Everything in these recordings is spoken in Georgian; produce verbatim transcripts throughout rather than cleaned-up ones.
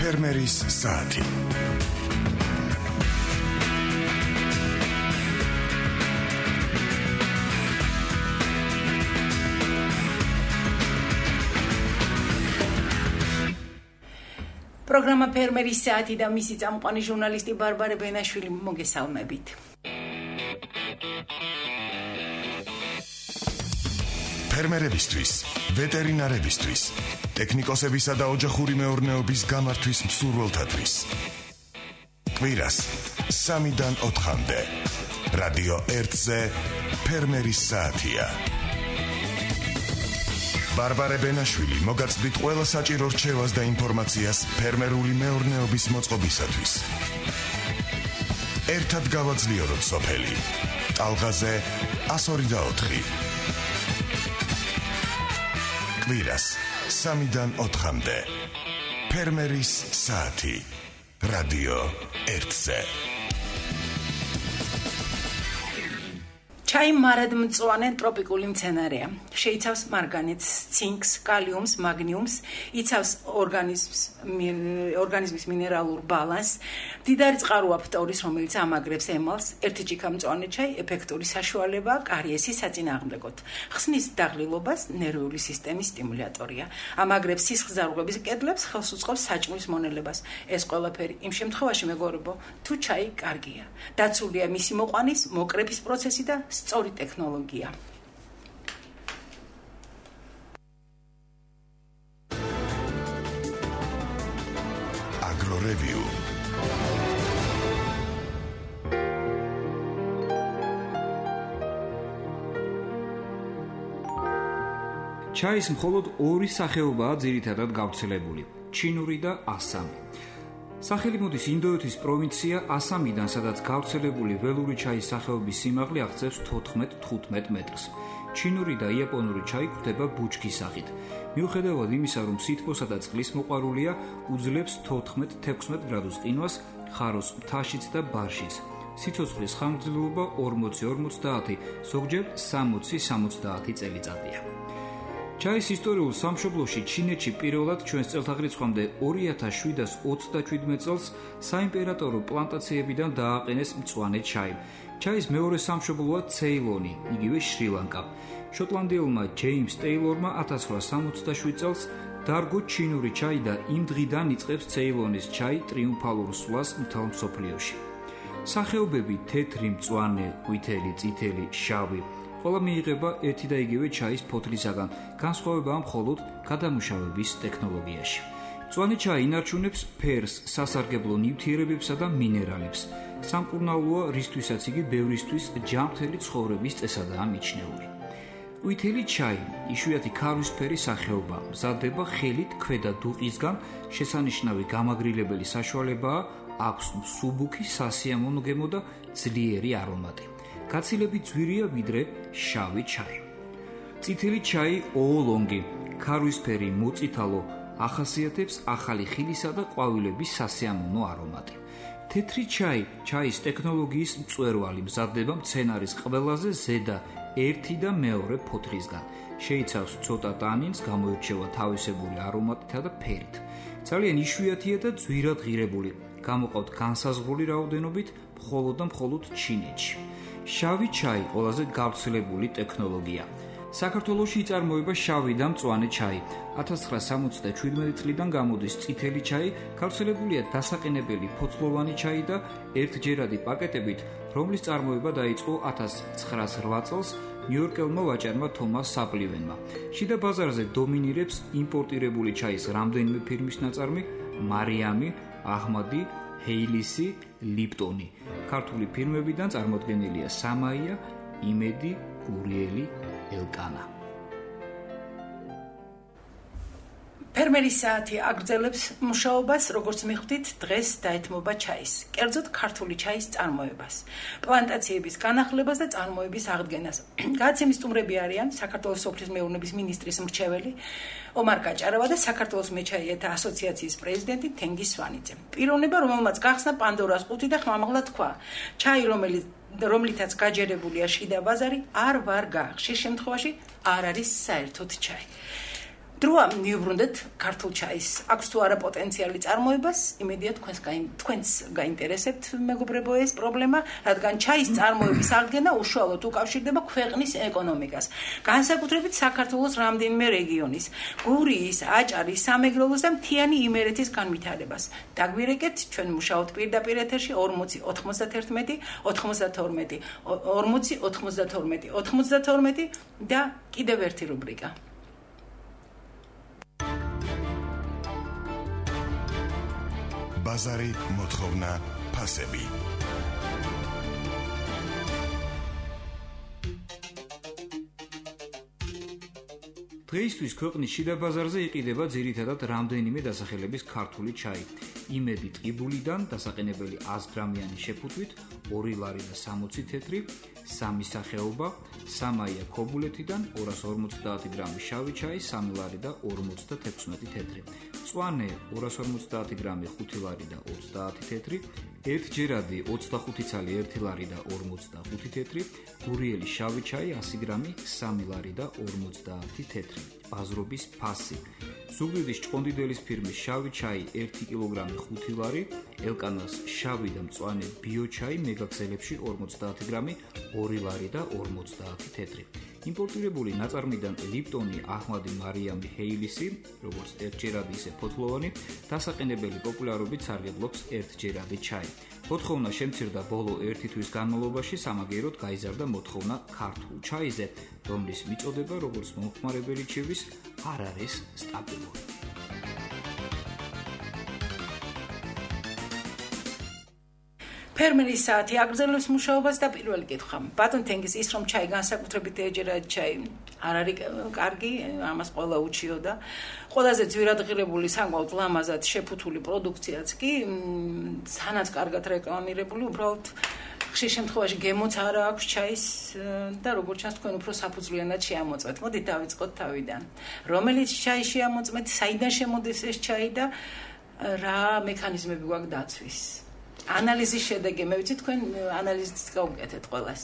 ფერმერის საათი. პროგრამა ფერმერის საათი და მისი წამყვანი ჟურნალისტი ბარბარე ბენაშვილი, მოგესალმებით. ფერმერებისთვის, ვეტერინარებისთვის, ტექნიკოსებისა და ოჯახური მეურნეობის გამართვის მსურველთათვის. კვირას სამიდან ოთხამდე. რადიო ერთზე ფერმერის საათია. ბარბარე ბენაშვილი მოგაცდით ყველა საჭირო რჩევას და ინფორმაციას ფერმერული მეურნეობის მოწყობისათვის. ერთად გავაძლიეროთ სოფელი. ტალღაზე ას ორი და ოთხი. კვირას სამიდან ოთხამდე. ფერმერის საათი. რადიო ერთზე. ჩაი მარადმწვანე ტროპიკული მცენარეა. შეიცავს მარგანეცს, ცინკს, კალიუმს, მაგნიუმს, იცავს ორგანიზმს, ორგანიზმის მინერალურ ბალანსს. მდიდარი წყაროა ფტორის, რომელიც ამაგრებს ემალს. ერთი ჭიქა მწვანე ჩაი ეფექტური საშუალებაა კარიესის საწინააღმდეგოდ. ხსნის დაღლილობას, ნერვიული სისტემის სტიმულატორია. ამაგრებს სისხლძარღვების კედლებს, ხელს უწყობს საჭმლის მონელებას. ეს ყველაფერი იმ შემთხვევაში, მეგობრებო, თუ ჩაი კარგია. დაცულია მისი მოყვანის, მოკრეფის პროცესი და სწორი ტექნოლოგია. აგრორევიუ. ჩაის მხოლოდ ორი სახეობაა ძირითადად გავრცელებული: ჩინური და ასამი. სახელი მოდის ინდოეთის პროვინცია ასამიდან, სადაც გავრცელებული ველური ჩაის სახეობის სიმაღლე აღწევს თოთხმეტ-თხუთმეტ მეტრს. ჩინური და იაპონური ჩაი გვხვდება ბუჩქის სახით. მიუხედავად იმისა, რომ სითბოსა და წყლის მოყვარულია, უძლებს თოთხმეტ-თექვსმეტ გრადუს ყინვას ხაროს მთაშიც და ბარშიც. სიცოცხლის ხანგრძლივობა ორმოცი-ორმოცდაათი, ზოგჯერ სამოცი-სამოცდაათი წელიწადია. ჩაის ისტორიულ სამშობლოში ჩინეთში პირველად ჩვენს წელთაღრიცხვამდე ორი ათას შვიდას ოცდაშვიდმეტ წელს საიმპერატორო პლანტაციებიდან დააყენეს მწვანე ჩაი. ჩაის მეორე სამშობლოა ცეილონი, იგივე შრი-ლანკა. შოტლანდიელმა ჯეიმს ტეილორმა ათას რვაასი სამოცდაშვიდ წელს დარგო ჩინური ჩაი და იმ დღიდან იწყებს ცეილონის ჩაი ტრიუმფალურ სვლას მთელ მსოფლიოში. სახეობები თეთრი, მწვანე, ყვითელი, წითელი, შავი ყველა მიიღება ერთი და იგივე ჩაის ფოთლისაგან, განსხვავებაა მხოლოდ გადამუშავების ტექნოლოგიაში. მწვანე ჩაი ინარჩუნებს ფერს, სასარგებლო ნივთიერებებსა და მინერალებს. სამკურნალოა, რისთვისაც იგი ბევრისთვის ჯანმრთელი ცხოვრების წესადაა მიჩნეული. ყვითელი ჩაი, იშვიათი ქარვისფერი სახეობა, მზადდება ხელით ქვედა დუყისგან, შესანიშნავი გამაგრილებელი საშუალებაა, აქვს მსუბუქი სასიამოვნო გემო და ძლიერი არომატი. გაცილებით ძვირია ვიდრე შავი ჩაი. წითელი ჩაი ოოლონგი, ქარვისფერი, მოწითალო, ახასიათებს ახალი ხილისა და ყვავილების სასიამოვნო არომატი. თეთრი ჩაი, ჩაის ტექნოლოგიის მწვერვალი, მზადდება მცენარის ყველაზე ზედა ერთი და მეორე ფოთლისგან. შეიცავს ცოტა ტანინს, გამოირჩევა თავისებური არომატითა და ფერით. ძალიან იშვიათია და ძვირად ღირებული. გამოყავთ განსაზღვრული რაოდენობით მხოლოდ და მხოლოდ ჩინეთში. შავი ჩაი ყველაზე გავრცელებული ტექნოლოგია. საქართველოში იწარმოება შავი და მწვანე ჩაი. ათას ცხრაასი სამოცდაშვიდმეტი წლიდან გამოდის წითელი ჩაი, გავრცელებულია დასაყენებელი ფოთლოვანი ჩაი და ერთჯერადი პაკეტებით, რომლის წარმოება დაიწყო ათას ცხრაასი რვა წელს ნიუ-იორკელმა ვაჭარმა თომას საპლივენმა. შიდა ბაზარზე დომინირებს იმპორტირებული ჩაის რამდენიმე ფირმის ნაწარმი: მარიამი, აჰმადი, ჰეილისი, ლიპტონი. ქართული ფირმებიდან წარმოდგენილია სამაია, იმედი, გურიელი, ელკანა. ფერმერის საათი აგრძელებს მუშაობას, როგორც მიხვდით, დღეს დაეთმობა ჩაის, კერძოდ ქართული ჩაის წარმოებას, პლანტაციების განახლებას და წარმოების აღდგენას. გადაცემის სტუმრები არიან საქართველოს სოფლის მეურნეობის მინისტრის მრჩეველი ომარ გაჭარავა და საქართველოს მეჩაიეთა ასოციაციის პრეზიდენტი თენგიზ სვანიძე. პიროვნება, რომელმაც გახსნა პანდორას ყუთი და ხმამაღლა თქვა: ჩაი, რომელიც რომლითაც გაჯერებულია შიდა ბაზარი, არ ვარ გაახშის შემთხვევაში არ არის საერთოდ ჩაი. დროა მივუბრუნდეთ ქართულ ჩაის. აქვს თუ არა პოტენციალი წარმოებას, იმედია თქვენს თქვენს გაინტერესებთ მეგობრებო ეს პრობლემა, რადგან ჩაის წარმოების აღდგენა უშუალოდ უკავშირდება ქვეყნის ეკონომიკას. განსაკუთრებით საქართველოს რამდენიმე რეგიონის, გურიის, აჭარის, სამეგრელოს და მთიანი იმერეთის განვითარებას. დაგვირეკეთ, ჩვენ მუშაობთ პირდაპირ ეთერში ორმოცი ოთხმოცდათერთმეტი ოთხმოცდათორმეტი ორმოცი ოთხმოცდათორმეტი ოთხმოცდათორმეტი და კიდევ ერთი რუბრიკა. ბაზარი, მოთხოვნა, ფასები. დღეისთვის ქვეყნის შიდა ბაზარზე იყიდება ძირითადად რამდენიმე დასახელების ქართული ჩაი. იმედი ტყიბულიდან დასაყენებელი ას გრამიანი შეფუთვით ორი ლარი და სამოცი თეთრი, სამი სახეობა, სამაია ქობულეთიდან ორას ორმოცდაათი გრამი შავი ჩაი, სამი ლარი და ორმოცდათექვსმეტი თეთრი. მწვანე ორას ორმოცდაათი გრამი ხუთი ლარი და ოცდაათი თეთრი, ერთჯერადი ოცდახუთი ცალი ერთი ლარი და ორმოცდახუთი თეთრი, გურიელი შავი ჩაი ასი გრამი სამი ლარი და ორმოცდაათი თეთრი. ბაზრობის ფასი. ზუგდიდის ჭყონდიდელის ფირმის შავი ჩაი ერთი კილოგრამი ხუთი ლარი, ელკანას შავი და მწვანე ბიო ჩაი მეგაგზელებში ორმოცდაათი გრამი ორი ლარი და ორმოცდაათი თეთრი. იმპორტირებული ნაწარმიდან ლიპტონი, აჰმადი, მარიამი, ჰეილისი, როგორც ერთჯერადი ისე ფოთლოვანი, დასაყენებელი პოპულარობით სარგებლობს ერთჯერადი ჩაი. მოთხოვნა შემცირდა ბოლო ერთი თვის განმავლობაში, სამაგიეროდ გაიზარდა მოთხოვნა ქართულ ჩაიზე, რომლის მიწოდება, როგორც მომხმარებელი ჩივის, არ არის სტაბილური. ფერმერის საათი აგრძელებს მუშაობას და პირველი კითხვა. ბატონ თენგის ის რომ ჩაი განსაკუთრებით ეჯერადი ჩაი არ არის კარგი, ამას ყველა უჩიოდა. ყველაზე ძვირადღირებული საკმაოდ ლამაზად შეფუთული პროდუქციაც კი სანაც კარგად რეკლამირებული, უბრალოდ ხშირ შემთხვევაში გემოც არა აქვს ჩაის და როგორც ჩანს თქვენ უფრო საფუძვლიანად შეამოწმეთ. მოდით დავიწყოთ თავიდან. რომელიც ჩაი შეამოწმეთ, საიდან შემოდის ეს ჩაი და რა მექანიზმები გვაქვს დაცვის? ანალიზის შედეგი, მე ვიცი თქვენ ანალიზით გავუკეთეთ ყველას.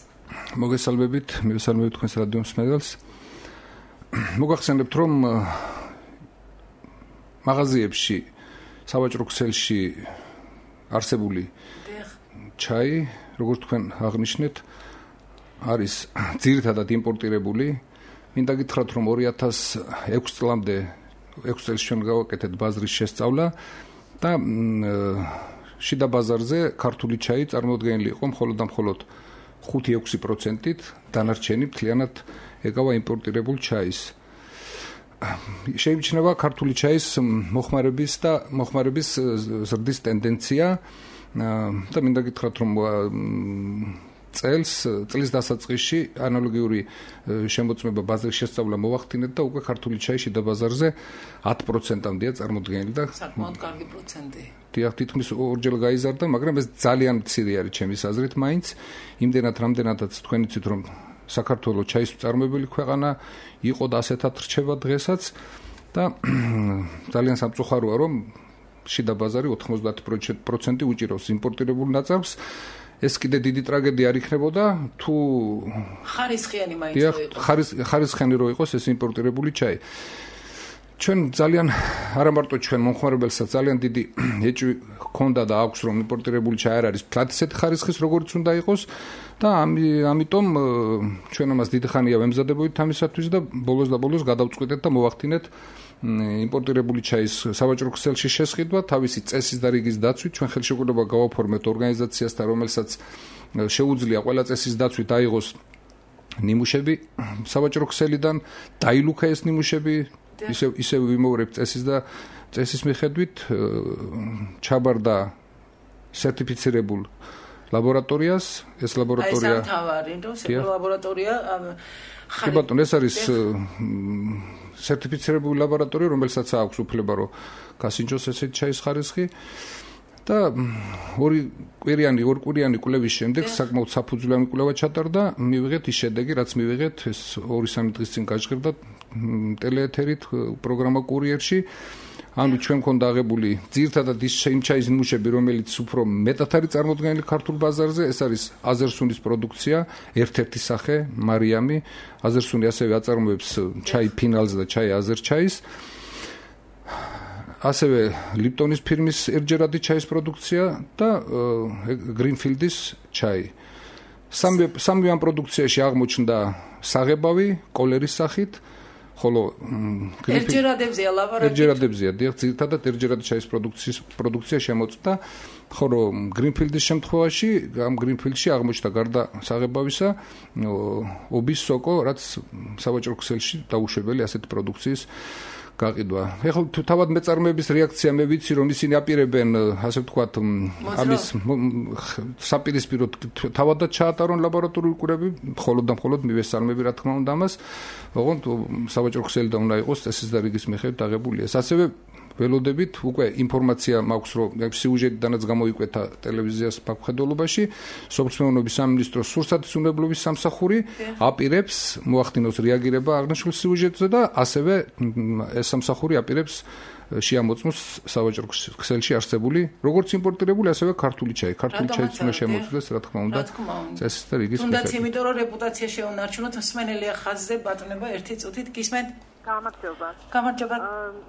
მოგესალმებით, მივესალმებით თქვენს რადიო მსმენელს. მოგახსენებთ, რომ მაღაზიებში, სავაჭრო ქსელში არსებული ჩაი, როგორც თქვენ აღნიშნეთ, არის ძირითადად იმპორტირებული. მინდა გითხრათ, რომ ორი ათას ექვსი წლამდე ექვსი წელს ჩვენ გავაკეთეთ ბაზრის შესწავლა და შიდა ბაზარზე ქართული ჩაი წარმოდგენილი იყო მხოლოდ და მხოლოდ ხუთი ექვსი პროცენტით, დანარჩენი მთლიანად ეკავა იმპორტირებულ ჩაის. შეიმჩნევა ქართული ჩაის მოხმარების და მოხმარების ზრდის ტენდენცია და მინდა გითხრათ, რომ წელს წლის დასაწყისში ანალოგიური შემოწმება ბაზრის შესწავლა მოვახდინეთ და უკვე ქართული ჩაი შიდა ბაზარზე ათი პროცენტამდეა წარმოდგენილი და საკმაოდ კარგი პროცენტი. დიახ, თითქმის ორჯერ გაიზარდა, მაგრამ ეს ძალიან მცირე არის ჩემის აზრით მაინც. იმდენად რამდენადაც თქვენ იცით, რომ საქართველოს ჩაის მწარმოებელი ქვეყანა იყო და ასეთად რჩება დღესაც და ძალიან სამწუხაროა, რომ შიდა ბაზარი ოცდაათი პროცენტი უჭირავს იმპორტირებულ ნაწარმს. ეს კიდე დიდი ტრაგედია არ იქნებოდა თუ ხარისხიანი მაინც რო იყოს. ხარისხიანი რო იყოს ეს იმპორტირებული ჩაი. ჩვენ ძალიან არა მარტო ჩვენ მომხმარებელსაც ძალიან დიდი ეჭვი ჰქონდა და აქვს რომ იმპორტირებული ჩაი არ არის ფლად ისეთი ხარისხის როგორც უნდა იყოს და ამიტომ ჩვენ ამას დიდი ხანია ვემზადებოდით ამისათვის და ბოლოს და ბოლოს გადავწყვიტეთ და მოვახდინეთ იმპორტირებული ჩაის სავაჭრო ქსელში შესყიდვა თავისი წესის და რიგის დაცვით. ჩვენ ხელშეკრულება გავაფორმეთ ორგანიზაციასთან, რომელსაც შეუძლია ყველა წესის დაცვით აიღოს ნიმუშები სავაჭრო ქსელიდან, დაილუქა ეს ნიმუშები, ისე ისე ვიმოვრებთ წესის და წესის მიხედვით ჩაბარდა სერტიფიცირებულ ლაბორატორიას. ეს ლაბორატორია აი სამთავარი, რომ ლაბორატორია კი ბატონო, ეს არის სერტიფიცირებული ლაბორატორია, რომელსაც აქვს უფლება რომ გასინჯოს ესეთი ჩაის ხარისხი და ორი კვირიანი ორ კვირიანი კვლევის შემდეგ საკმაოდ საფუძვლიანი კვლევა ჩატარდა, მივიღეთ ის შედეგი, რაც მივიღეთ, ეს ორი სამი დღის წინ გაჟღერდა ტელეეთერით პროგრამა კურიერში. ანუ ჩვენ მქონდა აღებული ძირთადად ის იმ ჩაის ნიმუშები, რომელიც უფრო მეტად არის წარმოდგენილი ქართულ ბაზარზე, ეს არის აზერსუნის პროდუქცია, ერთ-ერთი სახე, მარიამი. აზერსუნი ასევე აწარმოებს ჩაი ფინალს და ჩაი აზერჩაის. ასევე ლიპტონის ფირმის ერჯერადი ჩაის პროდუქცია და გრინფილდის ჩაი. სამი სამი ამ პროდუქციაში აღმოჩნდა საღებავი კოლერის სახით, ხოლო ერჯერადებზია ლაბორატორია. ერჯერადებზია, დიახ, ძირითადად ერჯერადი ჩაის პროდუქციის პროდუქცია შემოწმდა, ხოლო გრინფილდის შემთხვევაში, ამ გრინფილდში აღმოჩნდა გარდა საღებავისა ობის სოკო, რაც სავაჭრო ქსელში დაუშვებელი ასეთი პროდუქციის გაყიდვა. ეხლა თუ თავად მეწარმეების რეაქცია მე ვიცი რომ ისინი აპირებენ ასე ვთქვათ ამის საპირისპიროდ თავადაც ჩაატარონ ლაბორატორიული კურები, მხოლოდ და მხოლოდ მივესალმები რა თქმა უნდა ამას. ოღონდ სავაჭრო ქსელი და უნდა იყოს წესის და რიგის მიხედვით აღებული ეს. ასევე ველოდებით უკვე ინფორმაცია მაქვს რომ სიუჟეტიდანაც გამოიკვეთა ტელევიზიას ბაქფხედველობაში სოფლმეურნეობის სამინისტროს სურსათის უნებლობის სამსახური აპირებს მოახდინოს რეაგირება აღნიშნულ სიუჟეტზე და ასევე ეს სამსახური აპირებს შეამოწმოს სავაჭრო ქსელში არსებული როგორც იმპორტირებული ასევე ქართული ჩაი. ქართული ჩაიც უნდა შემოწმდეს რა თქმა უნდა წესის და რიგის მიხედვით. თუნდაც იმიტომ რომ რეპუტაცია შეუნარჩუნოთ მსმენელია ხაზზე ბატონება ერთი წუთით გისმენთ. გამარჯობა. გამარჯობა.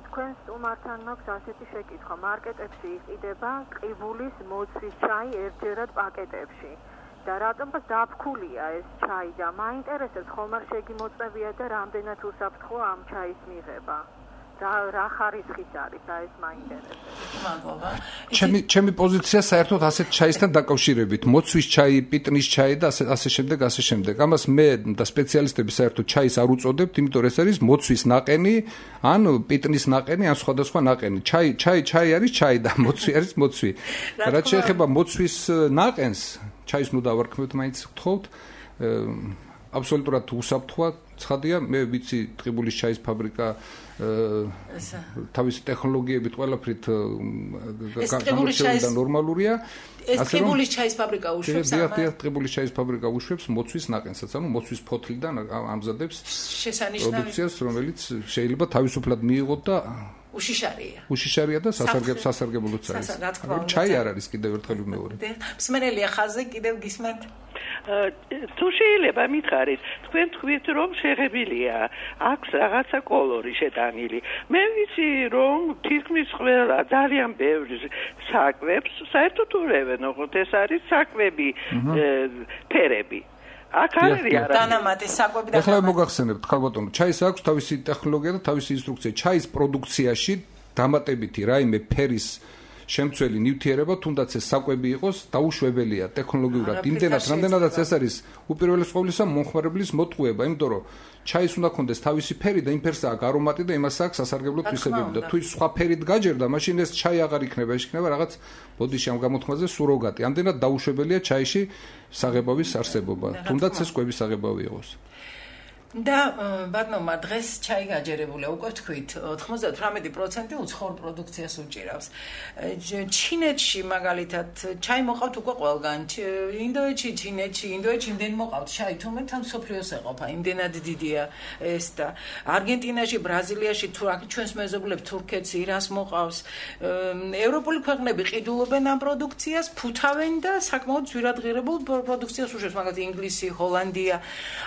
თქვენ სტუმართან მაქვს ასეთი შეკითხვა. მარკეტებში იყიდება ყიბულის მოცვის ჩაი ერთჯერად პაკეტებში. და რატომ დაფქულია ეს ჩაი და მაინტერესებს ხომ არ შეგიმოწმებია და რამდენად უსაფრთხოა ამ ჩაის მიღება? და რა ხარისხის არის და ეს მაინტერესებს. მადლობა. ჩემი ჩემი პოზიცია საერთოდ ასეთ ჩაისთან დაკავშირებით, მოცვის ჩაი, პიტნის ჩაი და ასე ასე შემდეგ, ასე შემდეგ. ამას მე და სპეციალისტები საერთოდ ჩაის არ უწოდებთ, იმიტომ რომ ეს არის მოცვის ნაყენი, ან პიტნის ნაყენი, ან სხვადასხვა ნაყენი. ჩაი, ჩაი, ჩაი არის ჩაი და მოცვი არის მოცვი. რაც შეეხება მოცვის ნაყენს, ჩაის ნუ დავარქმევთ, მაინც გთხოვთ. აბსოლუტურად უსაფრთხოა, ცხადია, მე ვიცი ტყიბულის ჩაის ფაბრიკა თავისი ტექნოლოგიებით ყველაფრით გამორჩეული და ნორმალურია. ეს ტყიბულის ჩაის ფაბრიკა უშვებს ამას? დიახ, ტყიბულის ჩაის ფაბრიკა უშვებს მოცვის ნაყენსაც, ანუ მოცვის ფოთლიდან ამზადებს პროდუქციას, რომელიც შეიძლება თავისუფლად მიიღოთ და უშიშარია. უშიშარია და სასარგებლო სასარგებლოც არის. ჩაი არ არის კიდევ ერთხელ მეორე. მსმენელია ხაზზე კიდევ გისმენთ. თუ შეიძლება მითხარით, თქვენ თქვით რომ შეღებილია, აქვს რაღაცა კოლორი შეტანილი. მე ვიცი რომ თითქმის ყველა ძალიან ბევრი საკვებს საერთოდ ურევენ, ოღონდ ეს არის საკვები ფერები. აქ არის არა დანამატი საკვები და ახლა მოგახსენებთ ხალბატონო, ჩაის აქვს თავისი ტექნოლოგია და თავისი ინსტრუქცია. ჩაის პროდუქციაში დამატებითი რაიმე ფერის შემცველი ნივთიერება, თუნდაც ეს საკვები იყოს, დაუშვებელია ტექნოლოგიურად. იმდენად, რამდენადაც ეს არის უპირველეს ყოვლისა მომხმარებლის მოტყუება, იმიტომ რომ ჩაის უნდა კონდეს თავისი ფერი და იმ ფერს აქვს არომატი და იმას აქვს სასარგებლო თვისებები და თუ ის სხვა ფერით გაჯერდა, მაშინ ეს ჩაი აღარ იქნება, ეს იქნება რაღაც ბოდიში ამ გამოთქმაზე სუროგატი. ამდენად დაუშვებელია ჩაიში საღებავის არსებობა, თუნდაც ეს კვების საღებავი იყოს. და ბატონმა დღეს ჩაი გაჯერებულია, უკვე თქვით, ოთხმოცდათვრამეტი პროცენტი უცხოურ პროდუქციას უჭირავს. ჩინეთში მაგალითად ჩაი მოყავთ უკვე ყველგან. ინდოეთში, ჩინეთში, ინდოეთში იმდენ მოყავთ ჩაი, თუმცა თან სოფლიოს ეყოფა, იმდენად დიდია ეს და არგენტინაში, ბრაზილიაში, ჩვენს მეზობლებს, თურქეთს, ირანს მოყავს. ევროპული ქვეყნები ყიდულობენ ამ პროდუქციას, ფუთავენ და საკმაოდ ძვირადღირებულ პროდუქციას უშვებს, მაგალითად ინგლისი, ჰოლანდია,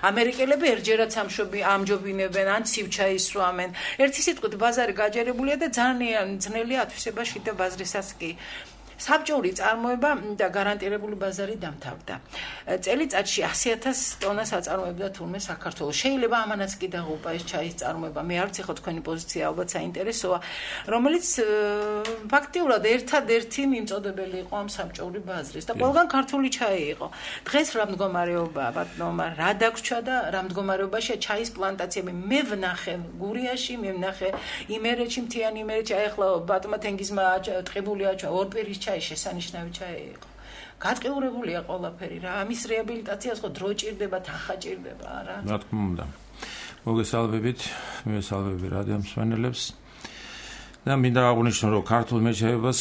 ამერიკელები ერთჯერად სამშობი ამჯობინებენ ან ცივჩაის სვამენ. ერთი სიტყვით ბაზარი გაჯერებულია და ძალიან ძნელია ათვისებაში და ბაზრისაც კი. საბჭოური წარმოება და გარანტირებული ბაზარი დამთავრდა. წელიწადში ასი ათას ტონას აწარმოებდა თურმე საქართველოს. შეიძლება ამანაც კი დაღუპა ეს ჩაის წარმოება. მე არ ვიცი ხო თქვენი პოზიცია ალბათ საინტერესოა, რომელიც ფაქტიურად ერთადერთი მიმწოდებელი იყო ამ საბჭოური ბაზრის და ყველგან ქართული ჩაი იყო. დღეს რა მდგომარეობაა, ბატონო, რა დაგვრჩა და რა მდგომარეობაშია ჩაის პლანტაციები. მე ვნახე გურიაში, მე ვნახე იმერეთში, მთიანი იმერეთში, აი ახლა ბატონმა თენგიზმა ტყიბულია ორპირის ჩაი შესანიშნავი ჩაი იყო. გატყიურებულია ყველაფერი რა. ამის რეაბილიტაციას ხო დრო ჭირდება, თანხა ჭირდება, რა. რა თქმა უნდა. მოგესალმებით, მივესალმები რადიო მსმენელებს. და მინდა აღვნიშნო, რომ ქართულ მეჩაიებას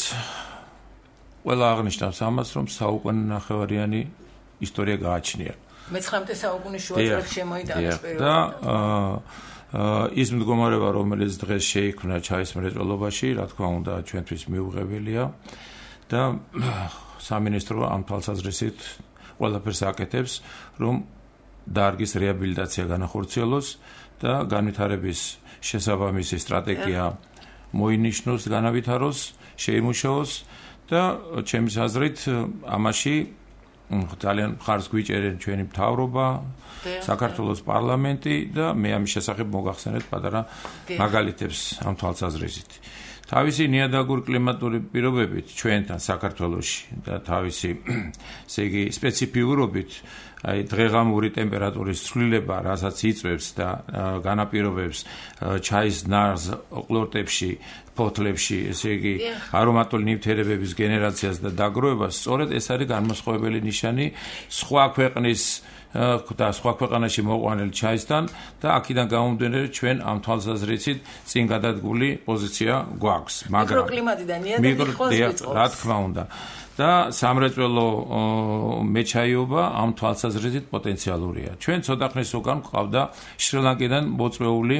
ყველა აღნიშნავს ამას, რომ საუკუნე ნახევარიანი ისტორია გააჩნია. მეცხრამეტე საუკუნის შუა წლებში შემოიტანეს პერიოდი. და ის მდგომარეობა, რომელიც დღეს შეიქმნა ჩაის მრეწველობაში, რა თქმა უნდა, ჩვენთვის მიუღებელია და სამინისტრო ამ თვალსაზრისით ყველაფერს აკეთებს, რომ დარგის რეაბილიტაცია განახორციელოს და განვითარების შესაბამისი სტრატეგია მოინიშნოს, განავითაროს, შეიმუშაოს და ჩემი აზრით ამაში ძალიან მხარს გვიჭერენ ჩვენი მთავრობა, საქართველოს პარლამენტი და მე ამის შესახებ მოგახსენეთ პატარა მაგალითებს ამ თვალსაზრისით. თავისი ნიადაგური კლიმატური პირობებით ჩვენთან საქართველოში და თავისი ესე იგი სპეციფიურობით აი დღეღამური ტემპერატურის ცვლილება, რასაც იწვევს და განაპირობებს ჩაის ნარს ყლორტებში, ფოთლებში, ესე იგი არომატული ნივთიერებების გენერაციას და დაგროვებას, სწორედ ეს არის განმასხვავებელი ნიშანი სხვა ქვეყნის და სხვა ქვეყანაში მოყვანილ ჩაისთან და აქედან გამომდინარე ჩვენ ამ თვალსაზრისით წინ გადადგული პოზიცია გვაქვს, მაგრამ მიკროკლიმატიდან ნიადაგი ხოს ვიწყობს. რა თქმა უნდა. და სამრეწველო მეჩაიობა ამ თვალსაზრისით პოტენციალურია. ჩვენ ცოტა ხნის უკან ყავდა შრი-ლანკიდან მოწვეული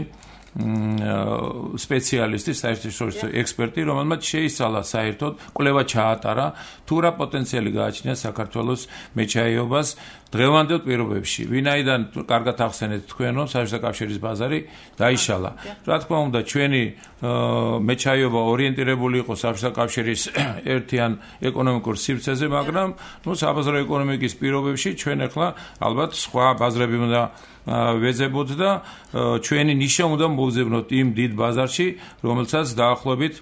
სპეციალისტი, საერთაშორისო ექსპერტი, რომელმაც შეისწავლა საერთოდ კვლევა ჩაატარა თუ რა პოტენციალი გააჩნია საქართველოს მეჩაიობას დღევანდელ პირობებში. ვინაიდან კარგად ახსენეთ თქვენ, რომ საბჭოთა კავშირის ბაზარი დაიშალა. რა თქმა უნდა, ჩვენი მეჩაიობა ორიენტირებული იყო საბჭოთა კავშირის ერთიან ეკონომიკურ სივრცეზე, მაგრამ ნუ საბაზრო ეკონომიკის პირობებში ჩვენ ახლა ალბათ სხვა ბაზრები უნდა ვეძებოთ და ჩვენი ნიშა უნდა მოვძებნოთ იმ დიდ ბაზარში, რომელსაც დაახლოებით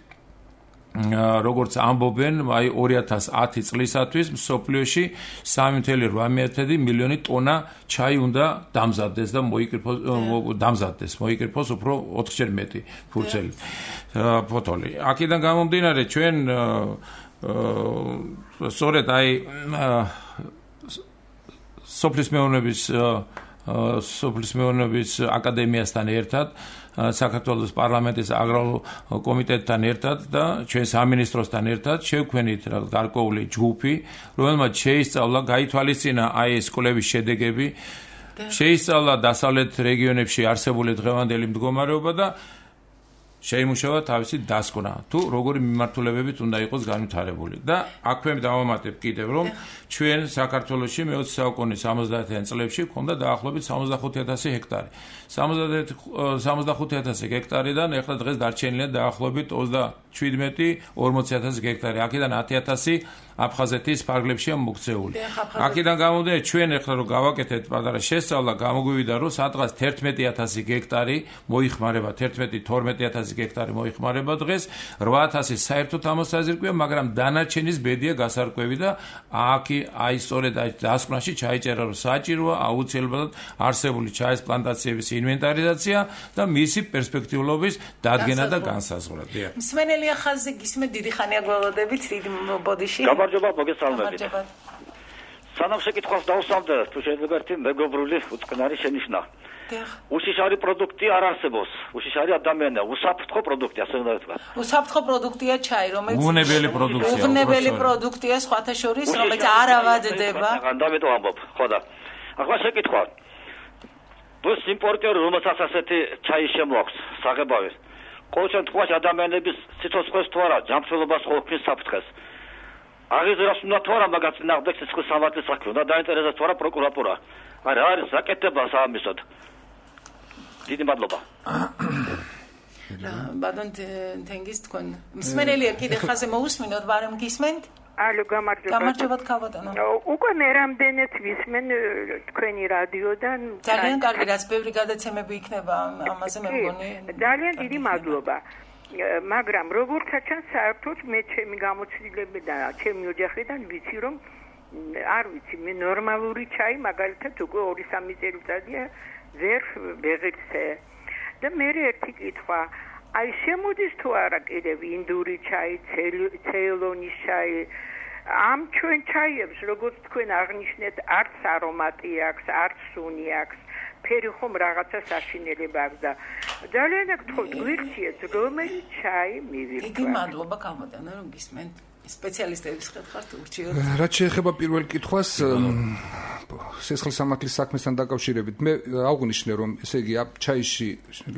როგორც ამბობენ, აი ორი ათას ათი წლისათვის მსოფლიოში სამი წუთი რვა მილიონი ტონა ჩაი უნდა დამზადდეს და მოიკრიფოს დამზადდეს, მოიკრიფოს უფრო ოთხჯერ მეტი ფურცელი ფოთოლი. აქედან გამომდინარე ჩვენ სწორედ აი სოფლის მეურნეობის სოფლის მეურნეობის აკადემიასთან ერთად საქართველოს პარლამენტის აგრარულ კომიტეტთან ერთად და ჩვენ სამინისტროსთან ერთად შევქმნით გარკვეული ჯგუფი, რომელმაც შეისწავლა, გაითვალისწინა აი ეს კვლევის შედეგები, შეისწავლა დასავლეთ რეგიონებში არსებული დღევანდელი მდგომარეობა და შეიმუშავა თავისი დასკვნა, თუ როგორი მიმართულებებით უნდა იყოს განვითარებული. და აქვე დავამატებ კიდევ, რომ ჩვენ საქართველოში მეოცე საუკუნის სამოცდაათიან წლებში გვქონდა დაახლოებით სამოცდახუთი ათასი ჰექტარი. სამოცდახუთი ათასი ჰექტარიდან ეხლა დღეს დარჩენილია დაახლოებით ოცდაშვიდმეტი ორმოცი ათასი ჰექტარი. აქედან ათი ათასი აფხაზეთის ფარგლებშია მოქცეული. აქედან გამომდინარე ჩვენ ეხლა რომ გავაკეთეთ პატარა შესწავლა, გამოგვივიდა რომ სადღაც თერთმეტი ათასი ჰექტარი მოიხმარება, თერთმეტი თორმეტი ათასი ჰექტარი მოიხმარება დღეს, რვა ათასი საერთოდ ამოსაზრკვია, მაგრამ დანარჩენის ბედია გასარკვევი და აქ აი სწორედ აი დასკვნაში ჩაიწერა რომ საჭიროა აუცილებლად არსებული ჩაის პლანტაციების ინვენტარიზაცია და მისი პერსპექტიულობის დადგენა და განსაზღვრა. მსმენელია ხაზზე გისმენთ, დიდი ხანია გველოდებით, დიდი ბოდიში. გამარჯობა, მოგესალმებით. სანამ შეკითხვას დავსვამდა, თუ შეიძლება ერთი მეგობრული უწყნარი შენიშვნა. უშიშარი პროდუქტი არ არსებობს. უშიშარი ადამიანია, უსაფრთხო პროდუქტი, ასე უნდა ვთქვა. უსაფრთხო პროდუქტია ჩაი, რომელიც ბუნებელი პროდუქტია. ბუნებელი პროდუქტია სხვათა შორის, რომელიც არ ავადდება. ამიტომ ამბობ, ხო და. ახლა შეკითხვა. ბუს იმპორტიორი, რომელსაც ასეთი ჩაი შემოაქვს, საღებავი. ყოველ შემთხვევაში ადამიანების სიცოცხლეს თუ არა, ჯანმრთელობას ყოფნის საფრთხეს. აღიზრას უნდა თუ არა მაგას წინააღმდეგ სიცხლის სამართლის საქმე, უნდა დაინტერესდეს თუ არა პროკურატურა. არა არის საკეთება საამისოდ. დიდი მადლობა. ბატონ თენგიზ თქვენ მსმენელია კიდე ხაზე მოусმინოთ, ბარემ გისმენთ? ალო, გამარჯობა. გამარჯობა ქალბატონო. უკვე მე რამდენად ვისმენ თქვენი რადიოდან. ძალიან კარგი, რაც ბევრი გადაცემები იქნება ამაზე მე მგონი. ძალიან დიდი მადლობა. მაგრამ როგორც ჩანს, საერთოდ მე ჩემი გამოცდილება და ჩემი ოჯახიდან ვიცი რომ არ ვიცი, მე ნორმალური ჩაი მაგალითად უკვე ორი სამი წელიწადია ვერ ვეღირცე. და მე ერთი კითხვა, აი შემოდის თუ არა კიდევ ინდური ჩაი, ცეილონის ჩაი, ამ ჩვენ ჩაიებს, როგორც თქვენ აღნიშნეთ, არც არომატი აქვს, არც სუნი აქვს, ფერი ხომ რაღაცა საშინელება აქვს და ძალიან გთხოვთ, გვირჩიეთ, რომელი ჩაი მივირთვა. დიდი მადლობა ქალბატონო, რომ გისმენთ. სპეციალისტების ხერხართ ურჩიოთ. რაც შეეხება პირველ კითხვას, სისხლისამართლის საქმესთან დაკავშირებით მე აღვნიშნე რომ ესე იგი ჩაიში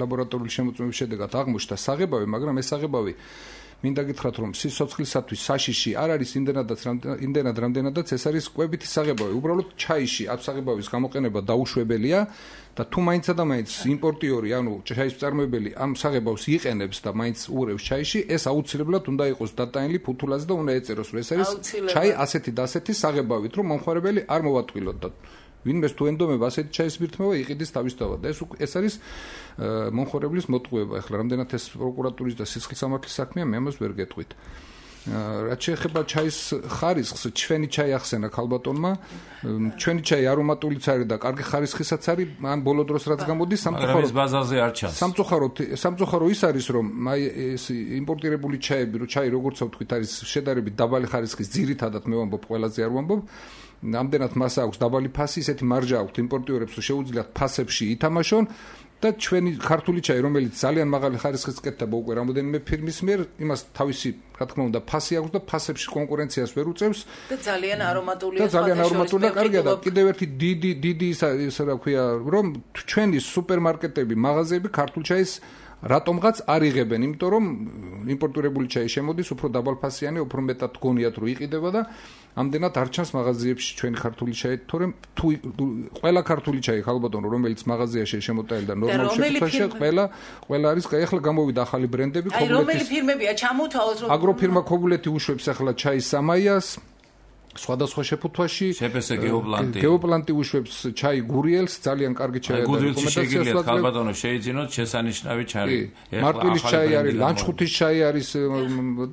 ლაბორატორიული შემოწმების შედეგად აღმოჩნდა საღებავი, მაგრამ ეს საღებავი მინდა გითხრათ რომ სიცოცხლისათვის საშიში არ არის იმდენადაც იმდენად რამდენადაც ეს არის კვებითი საღებავი. უბრალოდ ჩაიში ამ საღებავის გამოყენება დაუშვებელია და თუ მაინც და მაინც იმპორტიორი, ანუ ჩაის მწარმოებელი ამ საღებავს იყენებს და მაინც უღრევს ჩაიში, ეს აუცილებლად უნდა იყოს დატანილი ფუთულაზე და უნდა ეწეროს რომ ეს არის ჩაი ასეთი და ასეთი საღებავით, რომ მომხმარებელი არ მოვატყვილოთ და ვინმეს თუ ენდომება ასეთი ჩაის მირთმევა იყიდეს თავისთავად და ეს ეს არის მომხმარებლის მოტყუება. ახლა რამდენად ეს პროკურატურის და სისხლისამართლის საქმეა, მე ამას ვერ გეტყვით. რაც შეეხება ჩაის ხარისხს, ჩვენი ჩაი ახსენა ქალბატონმა, ჩვენი ჩაი არომატულიც არის და კარგი ხარისხისაც არის, ამ ბოლო დროს რაც გამოდის სამწუხაროდ ბაზარზე არ ჩანს. სამწუხაროდ სამწუხარო ის არის რომ აი ეს იმპორტირებული ჩაები, რო ჩაი როგორც ვთქვით არის შედარებით დაბალი ხარისხის, ძირითადად მე ვამბობ ყველაზე არ ვამბობ. ამდენად მას აქვს დაბალი ფასი, ისეთი მარჟა აქვს იმპორტიორებს, რომ შეუძლიათ ფასებში ითამაშონ და ჩვენი ქართული ჩაი, რომელიც ძალიან მაღალი ხარისხის კეთდება უკვე რამოდენიმე ფირმის მიერ, იმას თავისი, რა თქმა უნდა, ფასი აქვს და ფასებში კონკურენციას ვერ უწევს და ძალიან არომატულია. და ძალიან არომატულია, კარგია და კიდევ ერთი დიდი დიდი ის რა ქვია, რომ ჩვენი სუპერმარკეტები, მაღაზიები ქართულ ჩაის რატომღაც არ იღებენ, იმიტომ რომ იმპორტირებული ჩაი შემოდის უფრო დაბალფასიანი, უფრო მეტად გონიათ რომ იყიდება და ამდენად არ ჩანს მაღაზიებში ჩვენი ქართული ჩაი, თორემ თუ ყველა ქართული ჩაი ხალბატონო, რომელიც მაღაზიაში შემოტანილი და ნორმალურ შეფუთვაშია, ყველა ყველა არის, კაი, ახლა გამოვიდა ახალი ბრენდები, ქობულეთის. აი, რომელი ფირმებია ჩამოთავაზ რომ აგროფირმა ქობულეთი უშვებს ახლა ჩაის სამაიას სხვადასხვა შეფუთვაში შეფესე გეოპლანტი გეოპლანტი უშვებს ჩაი გურიელს ძალიან კარგი ჩაი და რეკომენდაციას ვაკლებთ ხალბატონო შეიძინოთ შესანიშნავი ჩაი მარტვილის ჩაი არის ლანჩხუთის ჩაი არის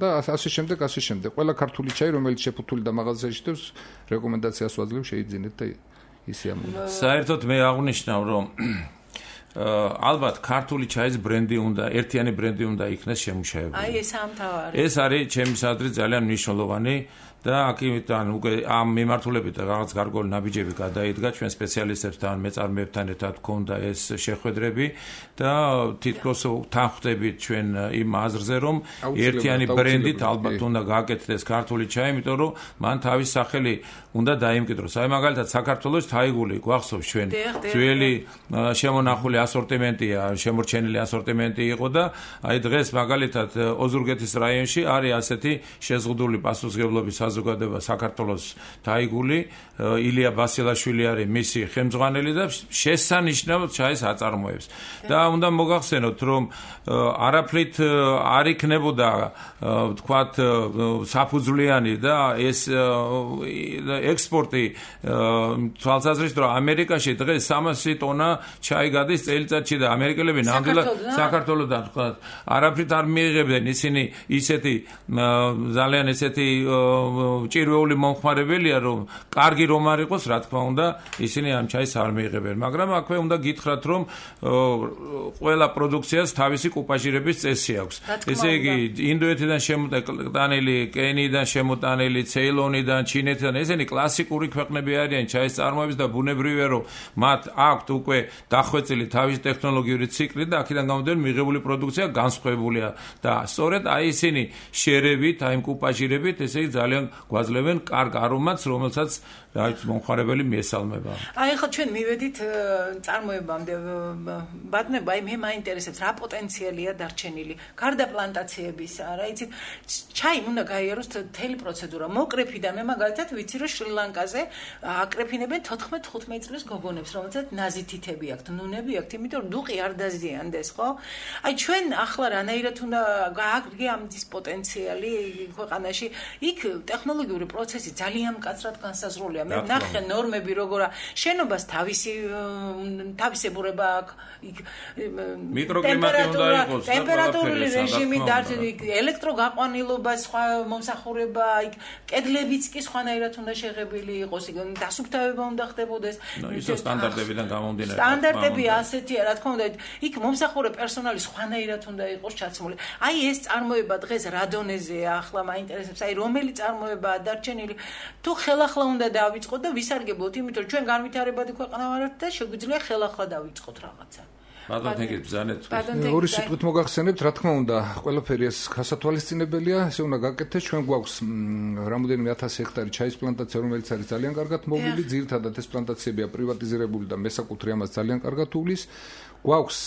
და ასე შემდეგ ასე შემდეგ ყველა ქართული ჩაი რომელიც შეფუთული და მაღაზიაში შევს რეკომენდაციას ვაძლევ შეიძინეთ და ისე ამბობ საერთოდ მე აღნიშნავ რომ ალბათ ქართული ჩაის ბრენდი უნდა ერთიანი ბრენდი უნდა იქნეს შემუშავებული აი ეს ამთავარი ეს არის ჩემისადმი ძალიან მნიშვნელოვანი და აქედან უკვე ამ მიმართულებით რაღაც გარკვეული ნაბიჯები გადაიდგა ჩვენ სპეციალისტებთან, მეწარმეებთან ერთად გქონდა ეს შეხვედრები და თითქოს თანხმდებით ჩვენ იმ აზრზე, რომ ერთიანი ბრენდით ალბათ უნდა გააკეთდეს ქართული ჩაი, იმიტომ რომ მან თავის სახელი უნდა დაიმკვიდროს. აი მაგალითად საქართველოს თაიგული გვახსოვს ჩვენ ძველი შემონახული ასორტიმენტია, შემორჩენილი ასორტიმენტი იყო და აი დღეს მაგალითად ოზურგეთის რაიონში არის ასეთი შეზღუდული პასუხისმგებლობის საზოგადოება საქართველოს თაიგული, ილია ბასილაშვილი არის მისი ხელმძღვანელი და შესანიშნავად ჩაის აწარმოებს. და უნდა მოგახსენოთ, რომ არაფრით არ იქნებოდა თქვათ საფუძვლიანი და ეს ექსპორტი თვალსაზრისით რომ ამერიკაში დღეს სამასი ტონა ჩაი გადის წელიწადში და ამერიკელები ნამდვილად საქართველოსთან თქვათ არაფრით არ მიიღებდნენ ისინი ისეთი ძალიან ესეთი ჭირვეული მომხმარებელია რომ კარგი რომ არ იყოს რა თქმა უნდა ისინი ამ ჩაის არ მიიღებენ მაგრამ აქვე უნდა გითხრათ რომ ყველა პროდუქციას თავისი კუპაჟირების წესი აქვს ესე იგი ინდოეთიდან შემოტანილი კენიიდან შემოტანილი ცეილონიდან ჩინეთიდან ესენი კლასიკური ქვეყნები არიან ჩაის წარმოების და ბუნებრივია რომ მათ აქვთ უკვე დახვეწილი თავისი ტექნოლოგიური ციკლი და აქედან გამომდინარე მიღებული პროდუქცია განსხვავებულია და სწორედ აი ისინი შერებით აი იმ კუპაჟირებით ესე იგი ძალიან გვაძლევენ კარგ არომატს რომელსაც რაც მომხმარებელი მიესალმება. აი ხო ჩვენ მივედით წარმოებამდე ბატონებო, აი მე მაინტერესებს რა პოტენციალია დარჩენილი გარდა პლანტაციებისა, რა იცით, ჩაი უნდა გაიაროს მთელი პროცედურა. მოკრეფიდან მე მაგალითად ვიცი რომ შრი-ლანკაზე აკრეფინებენ თოთხმეტ თხუთმეტ წლის გოგონებს, რომელსაც ნაზითითები აქვთ, ნუნები აქვთ, იმიტომ რომ დუყი არ დაზიანდეს, ხო? აი ჩვენ ახლა რანაირად უნდა გააგრძელოს ამის პოტენციალი ქვეყანაში, იქ ტექნოლოგიური პროცესი ძალიან მკაცრად განსაზღვრულია. მე ნახე ნორმები როგორა შენობას თავისი თავისებურება აქვს მიკროკლიმატი უნდა იყოს ტემპერატურული რეჟიმი და ელექტროგაყვანილობა სხვა მომსახურება იქ კედლებიც კი სხვანაირად უნდა შეღებილი იყოს იქ დასუფთავება უნდა ხდებოდეს ისო სტანდარტებიდან გამომდინარე სტანდარტები ასეთია რა თქმა უნდა იქ მომსახურე პერსონალი სხვანაირად უნდა იყოს ჩაცმული აი ეს წარმოება დღეს რა დონეზეა ახლა მაინტერესებს აი რომელი წარმოებაა დარჩენილი თუ ხელახლა უნდა დავიწყოთ და ვისარგებლოთ, იმიტომ რომ ჩვენ განვითარებადი ქვეყანა ვართ და შეგვიძლია ხელახლა დავიწყოთ რაღაცა. ბატონ თენგის ბზანეთ. ორი სიტყვით მოგახსენებთ, რა თქმა უნდა, ყველაფერი ეს გასათვალისწინებელია, ესე უნდა გაკეთდეს, ჩვენ გვაქვს რამოდენიმე ათასი ჰექტარი ჩაის პლანტაცია, რომელიც არის ძალიან კარგად მოვლილი, ძირითადად ეს პლანტაციებია პრივატიზირებული და მესაკუთრე ამას ძალიან კარგად უვლის. გვაქვს